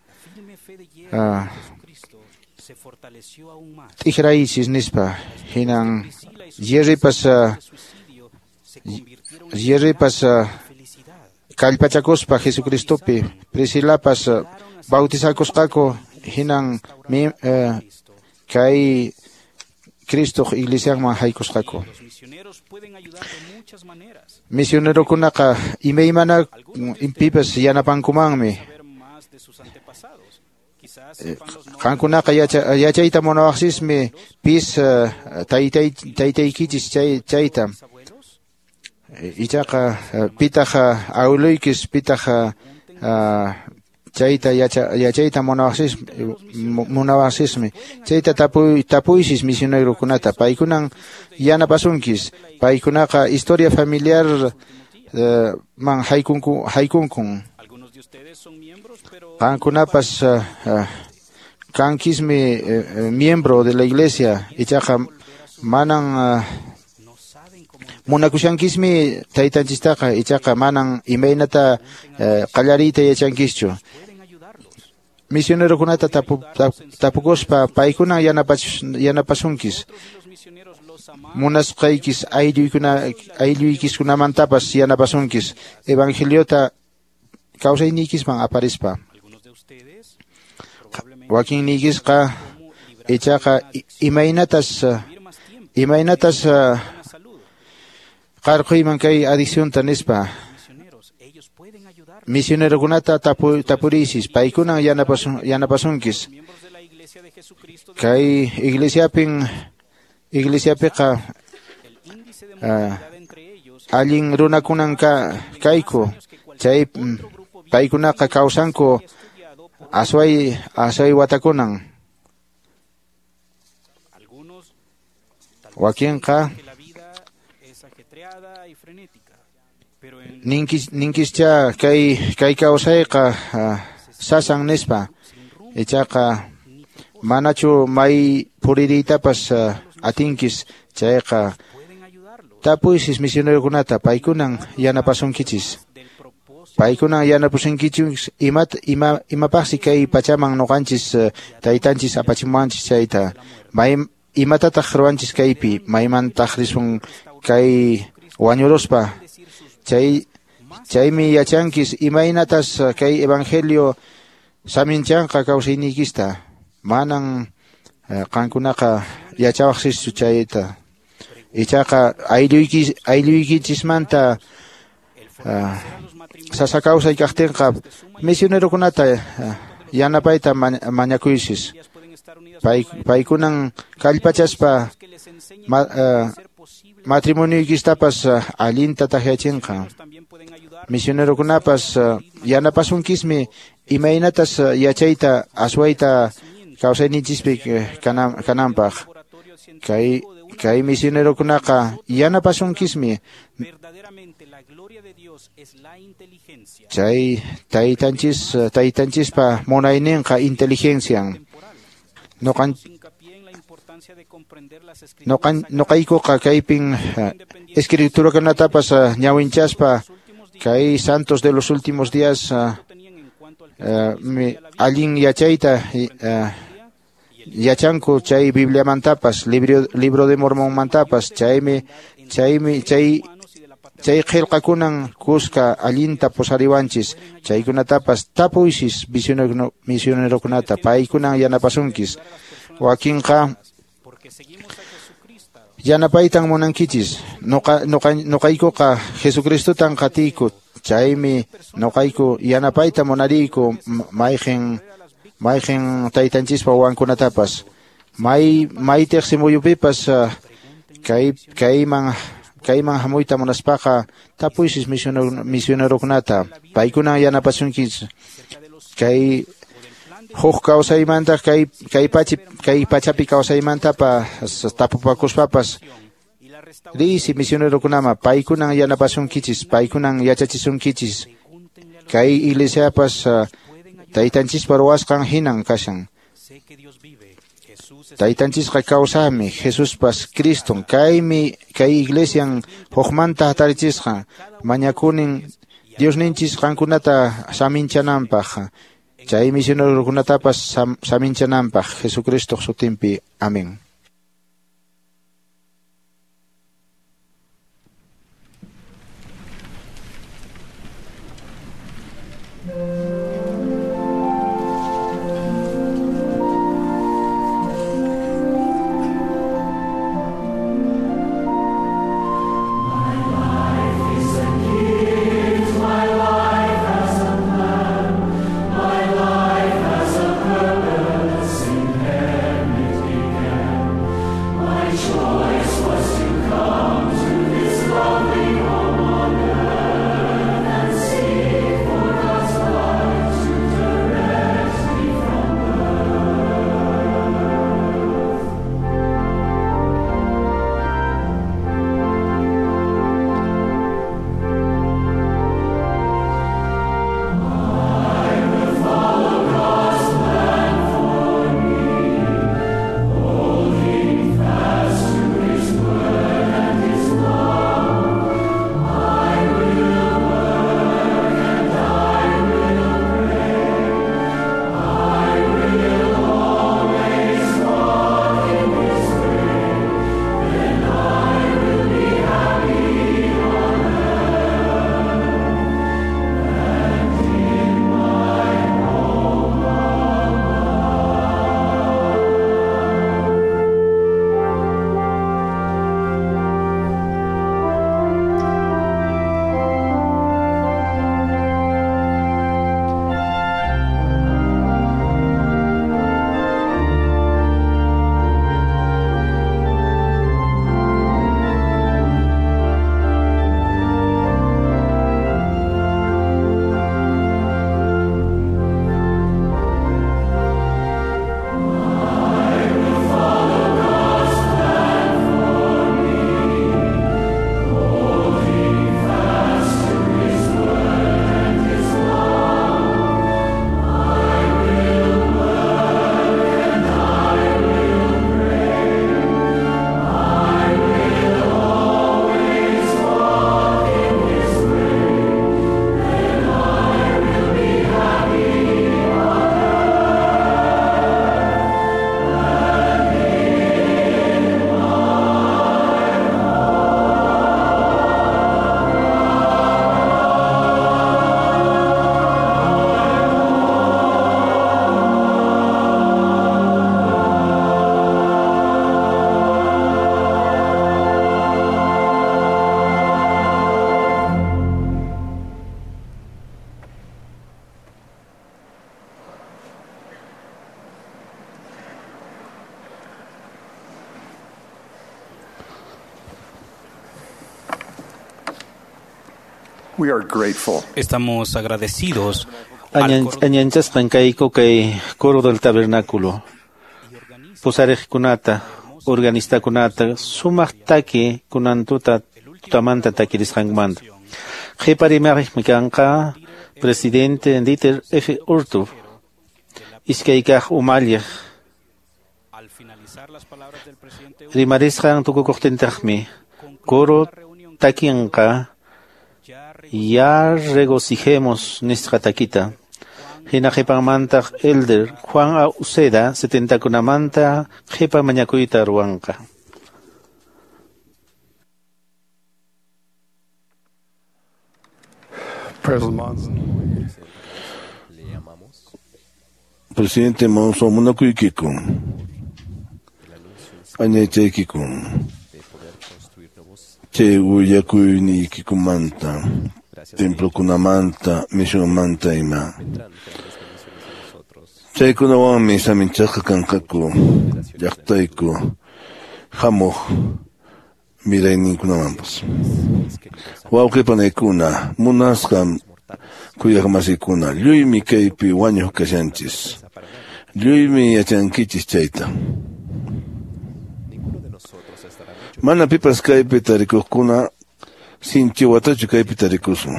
t'ikraychis nispa hinan yerripas yerripas kallpachakuspa Jesucristopi Priscilapas bautizakusqaku hinan kay Cristoq iglesianman haykusqaku. Misionerokunaqa imaymana pipas yanapankumanmi qankunaqa yachayta munawaqsismi pis taytay taytaykichis chay chayta ichaqa pitaq awiluykis pitaq chayta yachayta munawaqsis munawaqsismi chayta tapuy tapuysis misionerokunata paykunan yanapasunkis paykunaqa historia familiar man haykunku haykunkun qankunapas kankismi miembro de la iglesia ichaqa manan munakushankismi taytanchistaqa ichaqa manan imaynata qallariyta yachankischu misionerokunata tapu, tapukuspa paykunan yanapasunkis munasqaykis aylluykuna aylluykiskunamantapas yanapasunkis evangeliota kawsayniykisman aparispa wakinniykisqa ichaqa imaynatas imaynatas qarquyman kay adiccionta nispa misionerokunata tapu, tapuriysis paykunan yanapasun, yanapasunkis kay iglesiapin iglesiapiqa uh, allin runakunan ka, kayku chay paykunaqa kawsanku asway asway watakunan wakinqa ninkis ninkischa kay kay kawsayqa uh, sasan nispa ichaqa manachu may puririytapas uh, atinkis chayqa tapuysis misionerokunata paykunan yanapasunkichis paykunan yanapasunkichis imat ima imapaqsi kay pachaman nuqanchis uh, taytanchis apachimuwanchis chayta may imatataq ruwanchis kaypi maymantaq risun kay wañuruspa chay chaymi yachankis imaynatas kay evangelio saminchanqa kawsayniykista manan qankunaqa yachawaqsischu chayta. Ichaqa aylluyki aylluykichismanta uh, sasa kawsay kaqtinqa misionerokunata uh, yanapayta mañakuysis. Pay, paykunan kallpachaspa ma, uh, matrimonioykistapas uh, allinta takyachinqa. Misionerokunapas uh, yanapasunkismi imaynatas uh, yachayta aswayta kawsayninchispi kanam, kananpaq. Kay kay misionerokunaqa yanapasunkismi chay taytanchis taytanchispa munayninqa inteligencian. Noqan noqan noqaykuqa kaypin escriturakunatapas ñawinchaspa kay santos de los últimos días uh, uh, mi, allin yachayta uh, yachanku chay Bibliamantapas libro libro de Mormonmantapas chaymi chaymi chay chay qillqakunan kuska allinta pusariwanchis chaykunatapas tapuysis misionerokunata paykunan yanapasunkis. Wakinqa yanapaytan munankichis. Noqa noqa noqaykuqa Jesucristotan qatiyku chaymi noqayku yanapayta munariyku mayqin mayqin taytanchispa wawankunatapas may may tiqsimuyupipas kay kayman kayman hamuyta munaspaqa tapuysis misionerokunata paykunan yanapasunkis. Kay huk kawsaymanta kay kay pachi kay pachapi kawsaymantapas tapupakuspapas riysi misionerokunama paykunan yanapasunkichis paykunan yachachisunkichis. Kay iglesiapas taytanchispa ruwasqan hinan kashan. Taytanchisqa kawsaqmi Jesuspas Criston kaymi kay iglesian hukmanta hatarichisqa mañakunin Diosninchis qankunata saminchananpaq chay misionerokunatapas sam, saminchananpaq Jesucristo sutinpi. Amén. My life has a purpose in heaven it began. We are grateful. Estamos agradecidos. Añanchasqan kayku kay coro del tabernáculo. Pusariqkunata, organistakunata, sumaq taki kunantuta tutamanta takirisqanmanta. Qhipa rimaqmi kanqa presidente Dieter F. Uchtdorf, iskay kaq umalliq. Rimarisqan tukukuqtintaqmi coro takinqa ya regocijemos nisqa takita. Hina qhipanmantaq Elder Juan A. Uceda setentakunamanta qhipa mañakuyta ruwanqa. President Monson. Presidente Monson, munakuykikun. Añaychaykikun. Chay willakuyniykimanta, templokunamanta, misionmanta ima. Chaykunawanmi saminchasqa kanqaku llaqtayku hamuq mirayninkunamanpas. Wawqi panaykuna, munasqa kuyaqmasikuna, lluymi kaypi wañuq kashanchis. Lluymi yachankichis chayta. Mana pipas kaypi tarikuqkuna sinchi watachu kaypi tarikusun.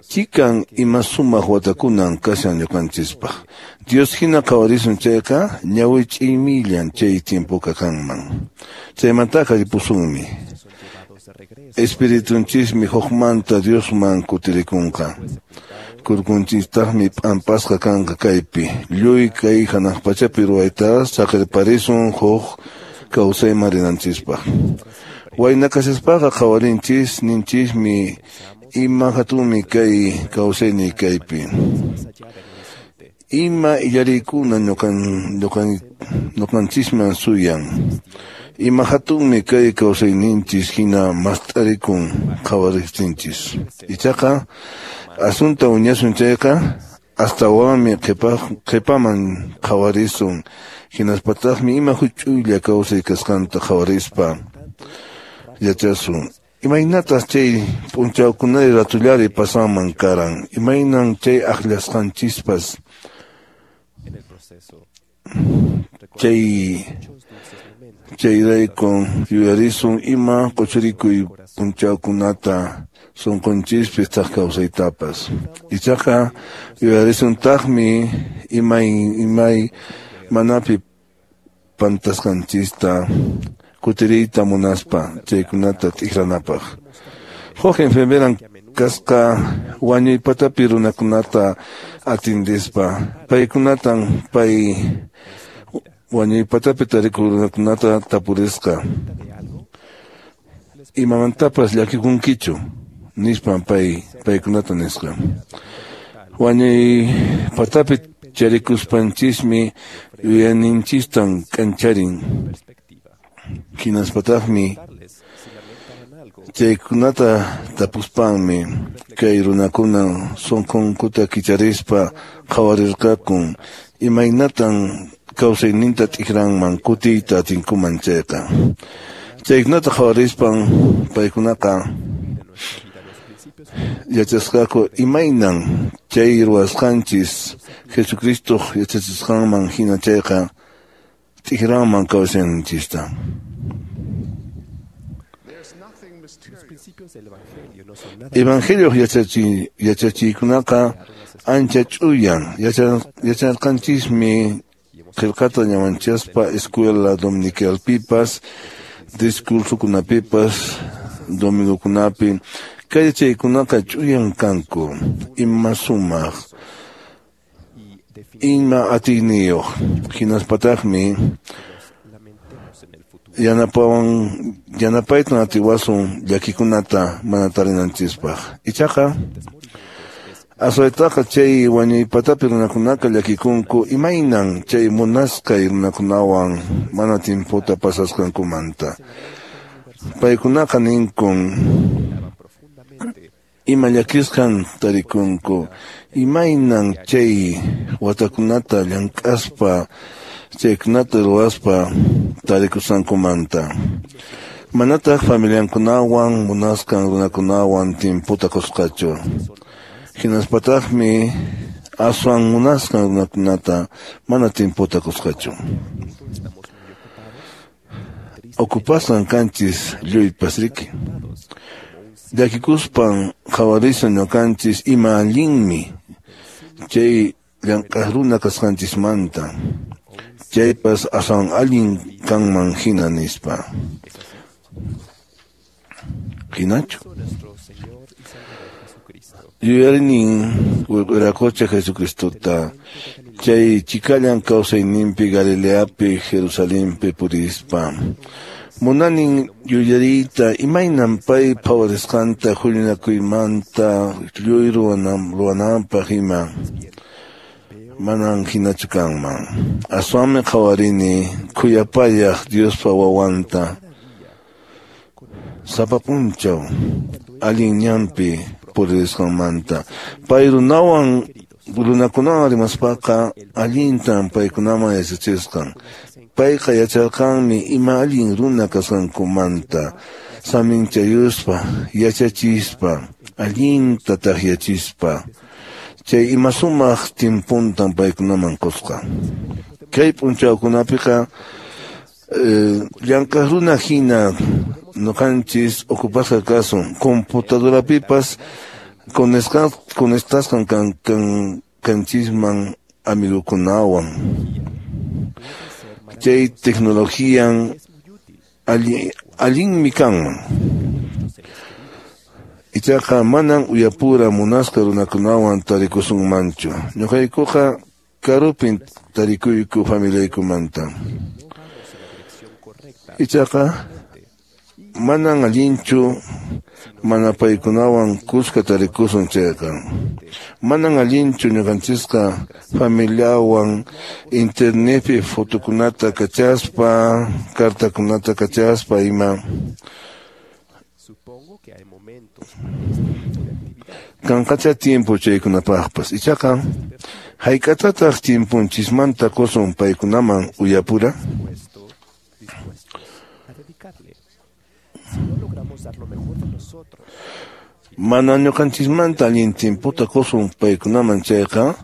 Chikan ima sumaq watakunan kashan ñuqanchispaq. Dios hina qhawarisun chayqa ñawi ch'imillan chay tiempoqa kanman. Chaymantaqa ripusunmi. Espiritunchismi hukmanta Diosman kutirikunqa. Kurkunchistaqmi p'ampasqa kanqa kaypi. Lluy kay hanaq pachapi ruwayta saqirparisun huk kawsayman rinanchispaq. Wayna kashaspaqa qhawarinchis ninchismi ima hatunmi kay kawsayni kaypi. Ima illariykuna ñuqan ñuqan ñuqanchisman suyan. Ima hatunmi kay kawsayninchis hina mast'arikun qhawariqtinchis. Ichaqa asunta uñasun chayqa astawanmi qhipaman qhawarisun. Hinaspataqmi ima huch'uylla kawsay kasqanta qhawarispa yachasun. Imaynatas chay p'unchawkunari ratullari pasanman karan. Imaynan chay akllasqanchispas chay chayraykun yuyarisun ima quchurikuy p'unchawkunata sunqunchispi thak kawsaytapas. Ichaqa yuyarisuntaqmi imay imay manapi pantasqanchista kutiriyta munaspa chaykunata t'ikranapaq. Huk enfermeran kasqa wañuypatapi runakunata atindispa paykunatan pay wañuypatapi tarikuq runakunata tapurisqa. Imamantapas llakikunkichu nispan pay paykunata nisqa. Wañuypatapi charikuspanchismi yuyayninchistan k'ancharin. Hinaspataqmi chaykunata tapuspanmi kay runakuna sunqunkuta kicharispa qhawarirqakun imaynatan kawsayninta t'ikranman kutiyta atinkuman chayqa. Chaykunata qhawarispan paykunaqa yachasqaku imaynan chay ruwasqanchis Jesucristoq yachachisqanman hina chayqa t'ikranman kawsayninchista. Evangelio yachachi yachachiykunaqa ancha ch'uyan yacharqanchismi qillqata ñawanchaspa escuela dominicalpipas discursokunapipas domingokunapi kay yachaykunaqa ch'uyan kanku ima sumaq ima atiyniyuq hinaspataqmi yanapawan yanapaytan atiwasun llakikunata mana tarinanchispaq. Ichaqa aswaytaqa chay wañuypatapi runakunaqa llakikunku imaynan chay munasqay runakunawan mana tiempota pasasqankumanta. Paykunaqa ninkun ima llakisqan tarikunku imaynan chay watakunata llank'aspa chaykunata ruwaspa tarikusqankumanta. Manataq familiankunawan munasqan runakunawan timputa qusqachu. Hinaspataqmi aswan munasqan runakunata mana timputa qusqachu. Ocupasqan kanchis lluypas riki. Llakikuspan qhawarisun ñuqanchis ima allinmi chay llank'aq runa kasqanchismanta. Chaypas aswan allin kanman hina nispa. Hinachu. Yuyarinin Wiraqocha Jesucristota chay chikallan kawsayninpi Galileapi Jerusalenpi purispa. Munanin yuyariyta imaynan pay phawarisqanta huñunakuymanta lluy ruwananpaq ima manan hinachu kanman. Aswanmi qhawarini khuyapayaq Diospa wawanta sapa p'unchaw allin ñanpi puririsqanmanta. Pay runawan runakunawan rimaspaqa allintan paykunaman yachachisqan. Payqa yacharqanmi ima allin runa kasqankumanta saminchayuspa, yachachispa, allinta takyachispa. Chay ima sumaq timpuntan paykunaman qusqa. Kay p'unchawkunapiqa llank'aq runa hina ñuqanchis ocupasqa kasun computadorapipas conectasqan kan kanchisman amigukunawan. Chay tecnologian allinmi kanman. Ichaqa manan uyapura munasqa runakunawan tarikusunmanchu. Ñuqaykuqa karupin tarikuyku familiaykumanta. Ichaqa manan allinchu mana paykunawan kuska tarikusun chayqa. Manan allinchu ñuqanchisqa familiawan internetpi fotokunata kachaspa, cartakunata kachaspa ima. Kanqacha tiempo chaykunapaqpas. Ichaqa hayk'atataq timpunchismanta qusun paykunaman uyapura? Mana ñuqanchismanta allin timputa qusun paykunaman chayqa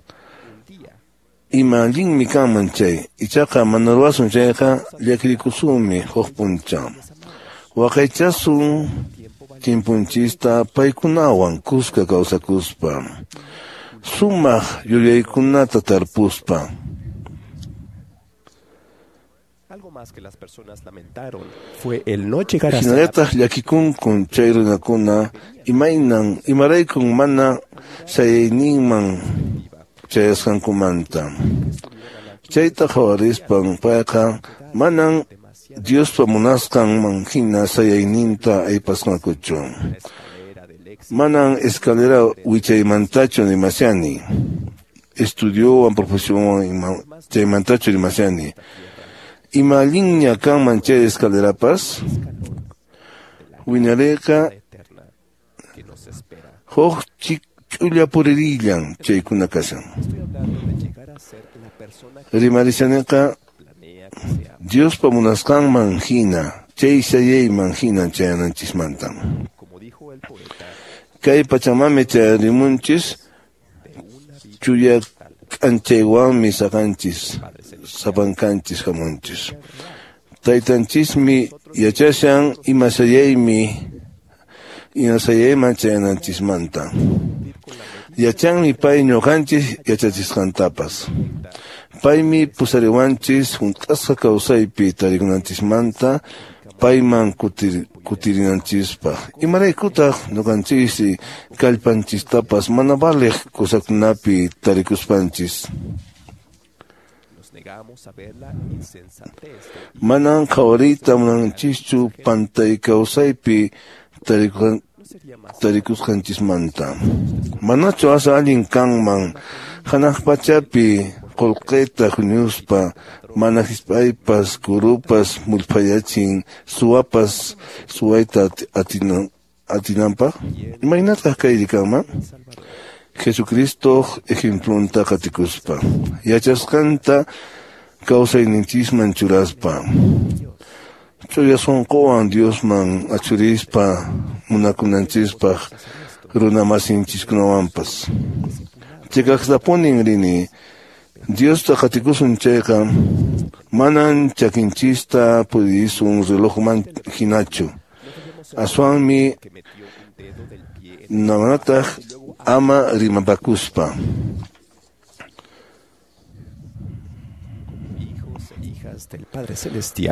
ima allinmi kanman chay. Ichaqa mana ruwasun chayqa llakirikusunmi huk p'unchaw. Waqaychasun timpunchista paykunawan kuska kawsakuspa, sumaq yuyaykunata tarpuspa. Hinallataq llakikunkun chay runakuna imaynan imaraykun mana sayayninman chayasqankumanta. Chayta qhawarispan payqa manan Diospa munasqanman hina sayayninta aypasqankuchu. Manan escalera wichaymantachu rimashani. Estudiowan profesionwan chaymantachu rimashani. Ima allinña kanman chay escalerapas? Wiñariyqa huk ch'ulla puririllan chaykuna kashan. Rimarishaniqa Diospa munasqanman hina, chay sayayman hina chayananchismanta. Kay pachamami chayarimunchis, chuya k'anchaywanmi saqanchis, sapankanchis hamunchis. Taytanchismi yachashan ima sayaymi, ima sayayman chayananchismanta. Yachanmi pay ñuqanchis yachachisqantapas. Paymi pusariwanchis hunt'asqa kawsaypi tarikunanchismanta payman kutir, kutirinanchispaq. Imaraykutaq ñuqanchis kallpanchistapas mana valiq kusakunapi tarikuspanchis. Manan qhawariyta munanchischu pantay kawsaypi tarikusqanchismanta. Manachu asa allin kanman hanaq pachapi qullqita huñuspa mana hisp'aypas kurupas mullphayachin suwapas suwayta atinan atinanpaq? Imaynataq kayri kanman? Jesucristoq ejemplunta qatikuspa, yachasqanta kawsayninchisman churaspa. Ch'uya sunquwan Diosman achurispa munakunanchispaq runa masinchiskunawanpas. Chiqaqtapunin rini Diosta qatikusun chayqa manan chakinchista purisun relojman hinachu. Aswanmi namanataq ama rimapakuspa.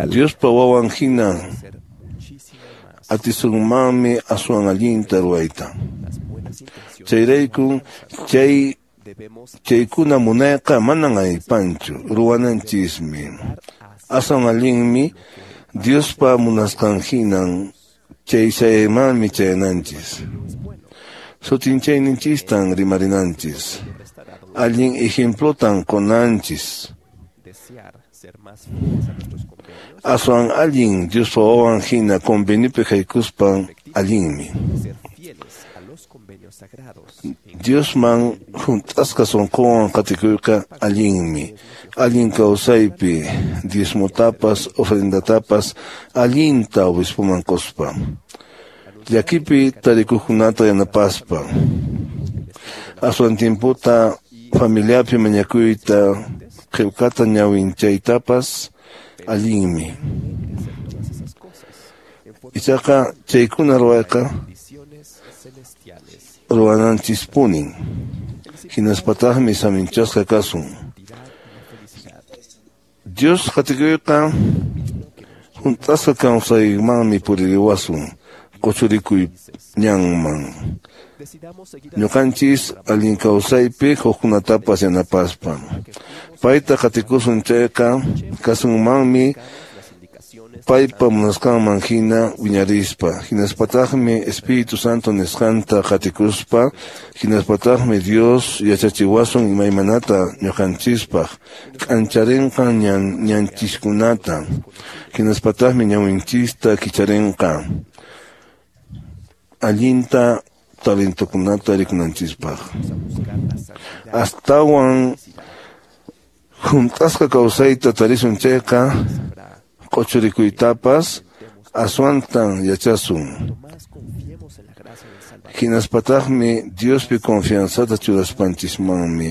Diospa wawan hina atisunmanmi aswan allinta ruwayta. Chayrayku chay chaykuna munayqa manan aypanchu ruwananchismi. Aswan allinmi Diospa munasqan hinan chay chaymanmi chayananchis. Sutinchayninchistan rimarinanchis. Allin ejemplotan qunanchis. Aswan allin Diospa wawan hina conveniopi haykuspan allinmi. Diosman hunt'asqa sunquwan qatikuyqa allinmi. Allin kawsaypi diezmotapas ofrendatapas allinta obispoman quspa. Llakipi tarikuqkunata yanapaspa. Aswan tiempota familiapi mañakuyta qillqata ñawinchaytapas allinmi. Ichaqa chaykuna ruwayqa ruwananchispunin. Hinaspataqmi saminchasqa kasun. Dios qatikuyqa hunt'asqa kawsaymanmi puririwasun quchurikuy ñanman. Ñuqanchis allin kawsaypi hukkunatapas yanapaspa. Payta qatikusun chayqa kasunmanmi paypa munasqanman hina wiñarispa. Hinaspataqmi Espíritu Santo nisqanta qatikuspa. Hinaspataqmi Dios yachachiwasun imaymanata ñuqanchispaq k'ancharinqa ñan ñanchiskunata. Hinaspataqmi ñawinchista kicharinqa allinta talentokunata rikunanchispaq. Astawan hunt'asqa kawsayta tarisun chayqa q'uchurikuytapas aswantan yachasun. Hinaspataqmi Diospi confianzata churaspanchismanmi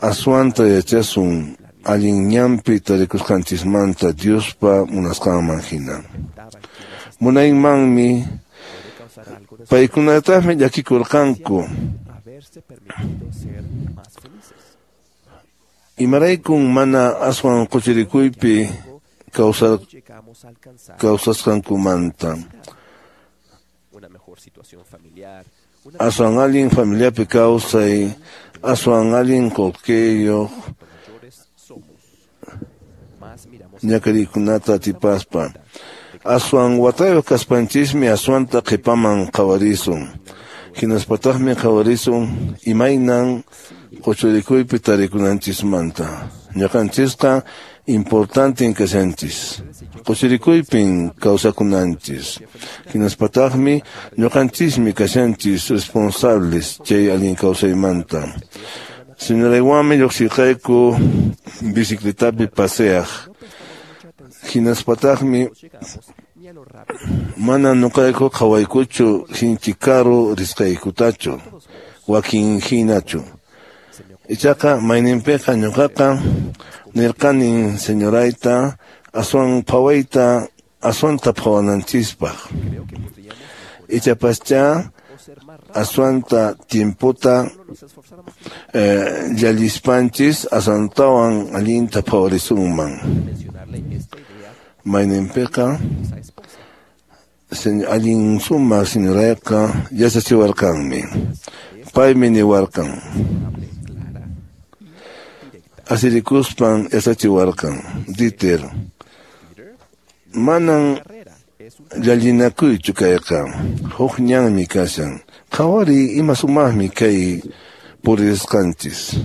aswanta yachasun allin ñanpi tarikusqanchismanta Diospa munasqanman hina. Munaymanmi paykunataqmi llakikurqanku. Imaraykun mana aswan quchurikuypi kawsar kawsasqankumanta. Aswan allin familiapi kawsay, aswan allin qullqiyuq ñakarikunata atipaspa. Aswan watayuq kaspanchismi aswanta qhipaman qhawarisun. Hinaspataqmi qhawarisun imaynan quchurikuypi tarikunanchismanta. Ñuqanchisqa importanten kashanchis. Quchurikuypin kawsakunanchis. Hinaspataqmi ñuqanchismi kashanchis responsables chay allin kawsaymanta. Señoraywanmi lluqsirqayku bicicletapi paseaq. Hinaspataqmi mana ñuqayku qhawaykuchu sinchi karu risqaykutachu wakin hinachu. Ichaqa mayninpiqa ñuqaqa nirqanin señorayta aswan phawayta aswanta phawananchispaq. Ichapascha aswanta tiempota eh, llallispanchis aswantawan allinta phawarisunman. Mayninpiqa allin sumaq señorayqa yachachiwarqanmi. Paymi niwarqan. Asirikuspan yachachiwarqan. Dieter, manan llallinakuychu kayqa. Huk ñanmi kashan. Qhawariy ima sumaqmi kay purisqanchis.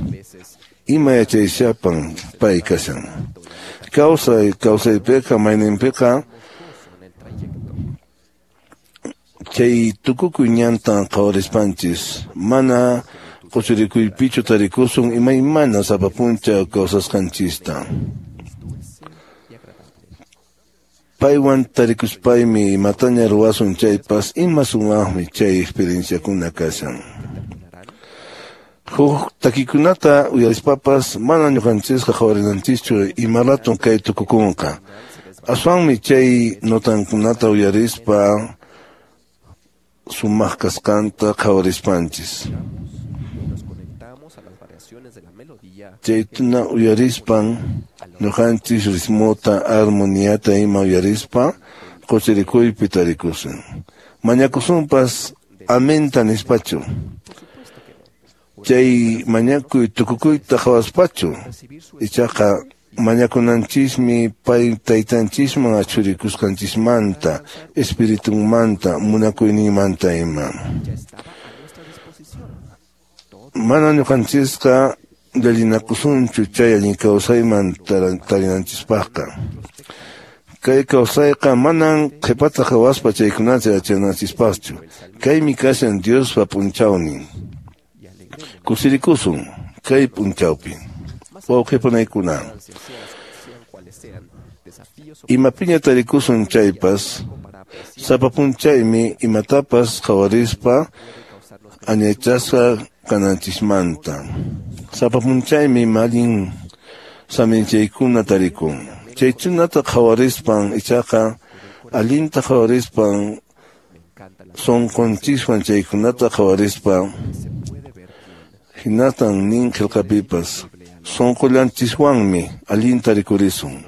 Ima yachayllapan pay kashan. Kawsay kawsaypiqa mayninpiqa chay tukukuy ñantan qhawarispanchis mana quchurikuypichu tarikusun imaymana sapa puncha kawsasqanchista. Paywan tarikuspaymi imataña ruwasun chaypas ima sumaqmi chay experienciakuna kashan. Huk takikunata uyarispapas mana ñuqanchisqa qhawarinanchischu ima raton kay tukukunqa. Aswanmi chay notankunata uyarispa sumaq kasqanta qhawarispanchis. Chaytuna uyarispan ñuqanchis ritmota, armoniata ima uyarispa quchirikuypi tarikusun. Mañakusunpas amenta nispachu. Chay mañakuy tukukuyta qhawaspachu. Ichaqa mañakunanchismi pay taytanchisman achurikusqanchismanta, espiritunmanta, munakuyninmanta ima. Mana ñuqanchisqa llallinakusunchu chay allin kawsayman tarinanchispaqqa. Kay kawsayqa manan qhipata qhawaspa chaykunata yachananchispaqchu. Kaymi kashan Diospa p'unchawnin. Kusirikusun kay p'unchawpi. Wawqipanaykuna. Imapiña tarikusun chaypas, sapa p'unchaymi imatapas qhawarispa añaychasqa kananchismanta. Sapa p'unchaymi allin saminchaykuna tarikun. Chaykunata qhawarispan ichaqa allinta qhawarispan sunqunchiswan chaykunata qhawarispa hinatan nin qillqapipas sunqullanchiswanmi allinta rikurisun.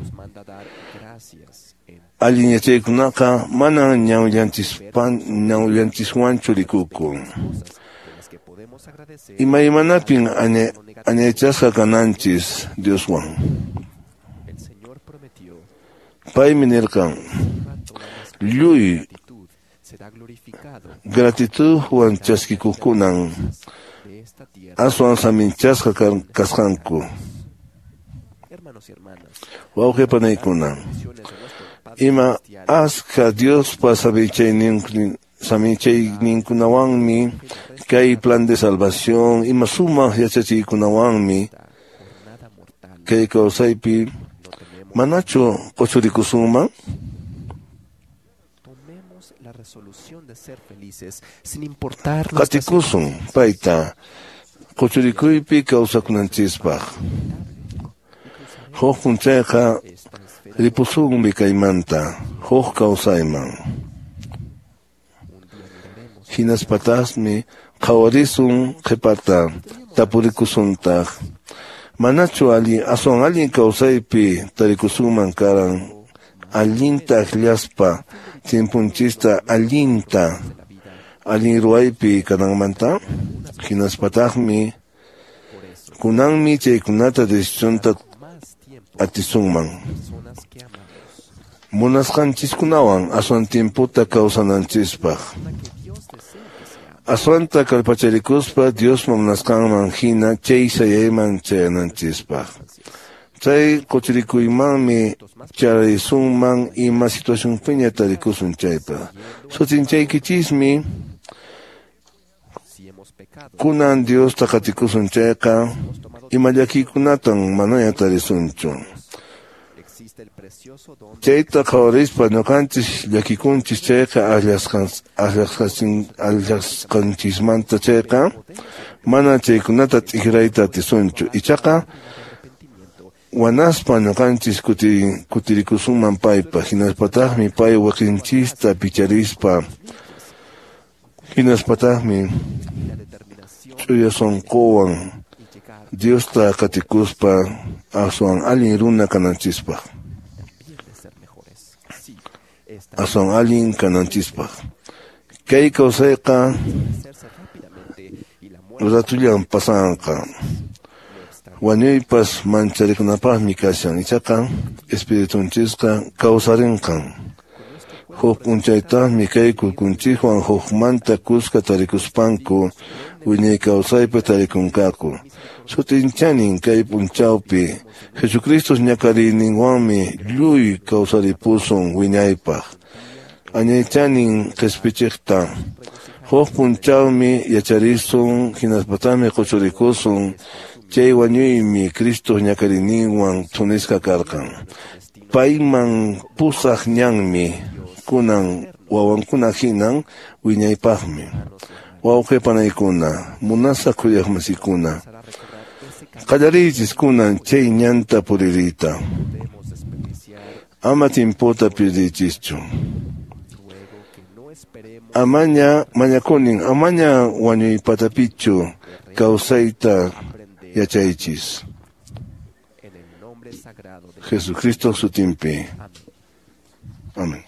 Allin yachaykunaqa manan ñawillanchispan ñawillanchiswanchu rikukun. Imaymanapin añaychasqa kananchis Dioswan. Paymi nirqan lluy gratitudwan chaskikuqkunan aswan saminchasqa kasqanku. Wawqi panaykuna, ima askha Diospa saminchayninkunawanmi kay plan de salvación, ima sumaq yachachiykunawanmi kay kawsaypi manachu quchurikusunman? Qatikusun payta quchurikuypi kawsakunanchispaq. Huk p'unchayqa ripusunmi kaymanta huk kawsayman. Hinaspataqmi qhawarisun qhipata tapurikusuntaq. Manachu allin aswan allin kawsaypi tarikusunman karan allinta akllaspa tiempunchista allinta allin ruwaypi kananmanta? Hinaspataqmi kunanmi chaykunata decisionta atisunman. Munasqanchiskunawan aswan tiemputa kawsananchispaq. Aswanta kallpacharikuspa Diospa munasqanman hina chay sayayman chayananchispaq. Chay quchirikuymanmi charisunman ima situacionpiña tarikusun chaypa. Sut'inchaykichismi kunan Diosta qatikusun chayqa ima llakiykunatan manaña tarisunchu. Chayta qhawarispa ñuqanchis llakikunchis chayqa akllasqanchismanta chayqa mana chaykunata t'ikrayta atisunchu. Ichaqa wanaspa ñuqanchis kutirikusunman paypa, hinaspataqmi pay waqinchista picharispa, hinaspataqmi ch'uya sunquwan Diosta qatikuspa aswan allin runa kananchispaq. Aswan allin kananchispaq. Kay kawsayqa ratullan pasanqa. Wañuypas mancharikunapaqmi kashan, ichaqa espiritunchisqa kawsarinqan. Huk p'unchaytaqmi kay kurkunchiswan hukmanta kuska tarikuspanku wiñay kawsaypi tarikunqaku. Sut'inchanin kay p'unchawpi Jesucristo ñakariyninwanmi lluy kawsaripusun wiñaypaq. Añaychanin qispichiqta. Huk p'unchawmi yacharisun hinaspataqmi quchurikusun chay wañuymi Cristo ñakariyninwan thunisqa karqan. Payman pusaq ñanmi kunan wawankuna hinan wiñaypaqmi. Wawqi panaykuna, munasaq khuyaqmasikuna, qallariychis kunan chay ñanta puririyta. Ama timpota pirdiychischu. Amaña mañakunin, amaña wañuypatapichu kawsayta yachaychis. Jesucristo sutinpi. Amén.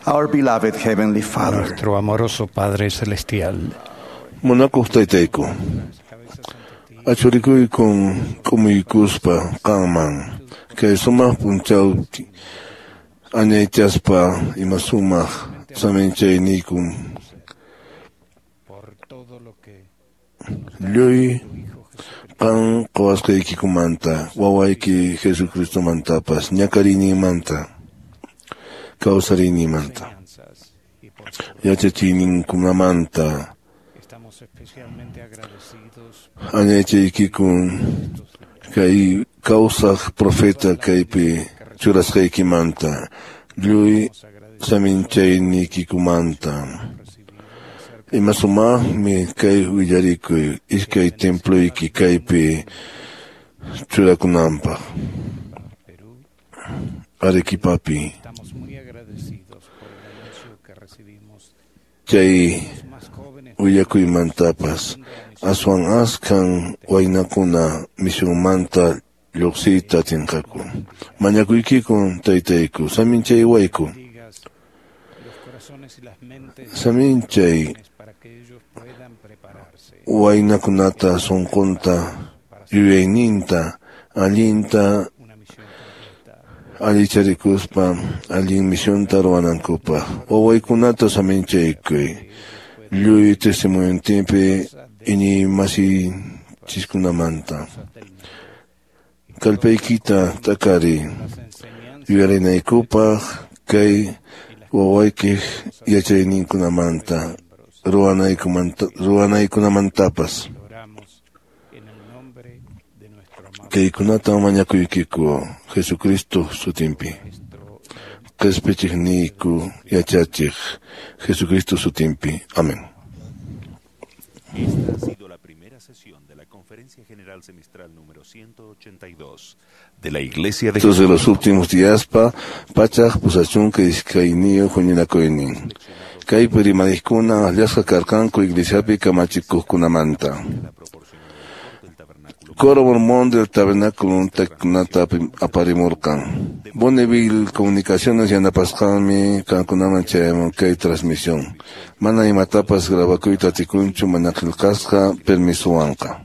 Our beloved Heavenly Father, Nuestro amoroso Padre Celestial, Munakuq taytayku, achurikuykun k'umuykuspa qanman kay sumaq p'unchaw añaychaspa ima sumaq saminchayniykum por todo lo que Lluy qan qowasqaykikumanta, wawayki Jesucristomantapas, ñakariynimanta, kawsariynimanta, yachachiyninkunamanta, añaychaykikun kay kawsaq profeta kaypi churasqaykimanta, lluy saminchaynikikumanta. Ima sumaqmi kay willarikuy iskay temployki kaypi churakunanpaq Arequipapi. Chay willakuymantapas aswan askan waynakuna misionmanta lluqsiyta atinqaku. Mañakuykikun taytayku, saminchaywayku. Saminchay waynakunata sunqunta yuyayninta allinta allicharikuspa allin misionta ruwanankupaq. Wawaykunata saminchaykuy lluy testimoniontinpi iñiymasinchiskunamanta. Kallpaykita t'akari yuyarinaykupaq kay wawaykiq yachayninkunamanta ruwanaykunamantapas. Kaykunata mañakuykiku Jesucristo sutinpi. Qhispichiqniyku yachachiq Jesucristo sutinpi. Amén. Esta ha sido la primera sesión de la Conferencia General Semestral número ciento ochenta y dos de la Iglesia de Estos de los últimos días pa pachaq pusachunka iskayniyuq huñunakuynin. Kaypi rimariqkuna akllasqa karqanku iglesiapi kamachikuqkunamanta. Coro Mormón del Tabernáculo takikunata aparimurqan. Bonneville Comunicaciones yanapasqanmi qankunaman chayamun kay transmisión. Mana imatapas grabakuyta atikunchu mana qillqasqa permisowanqa.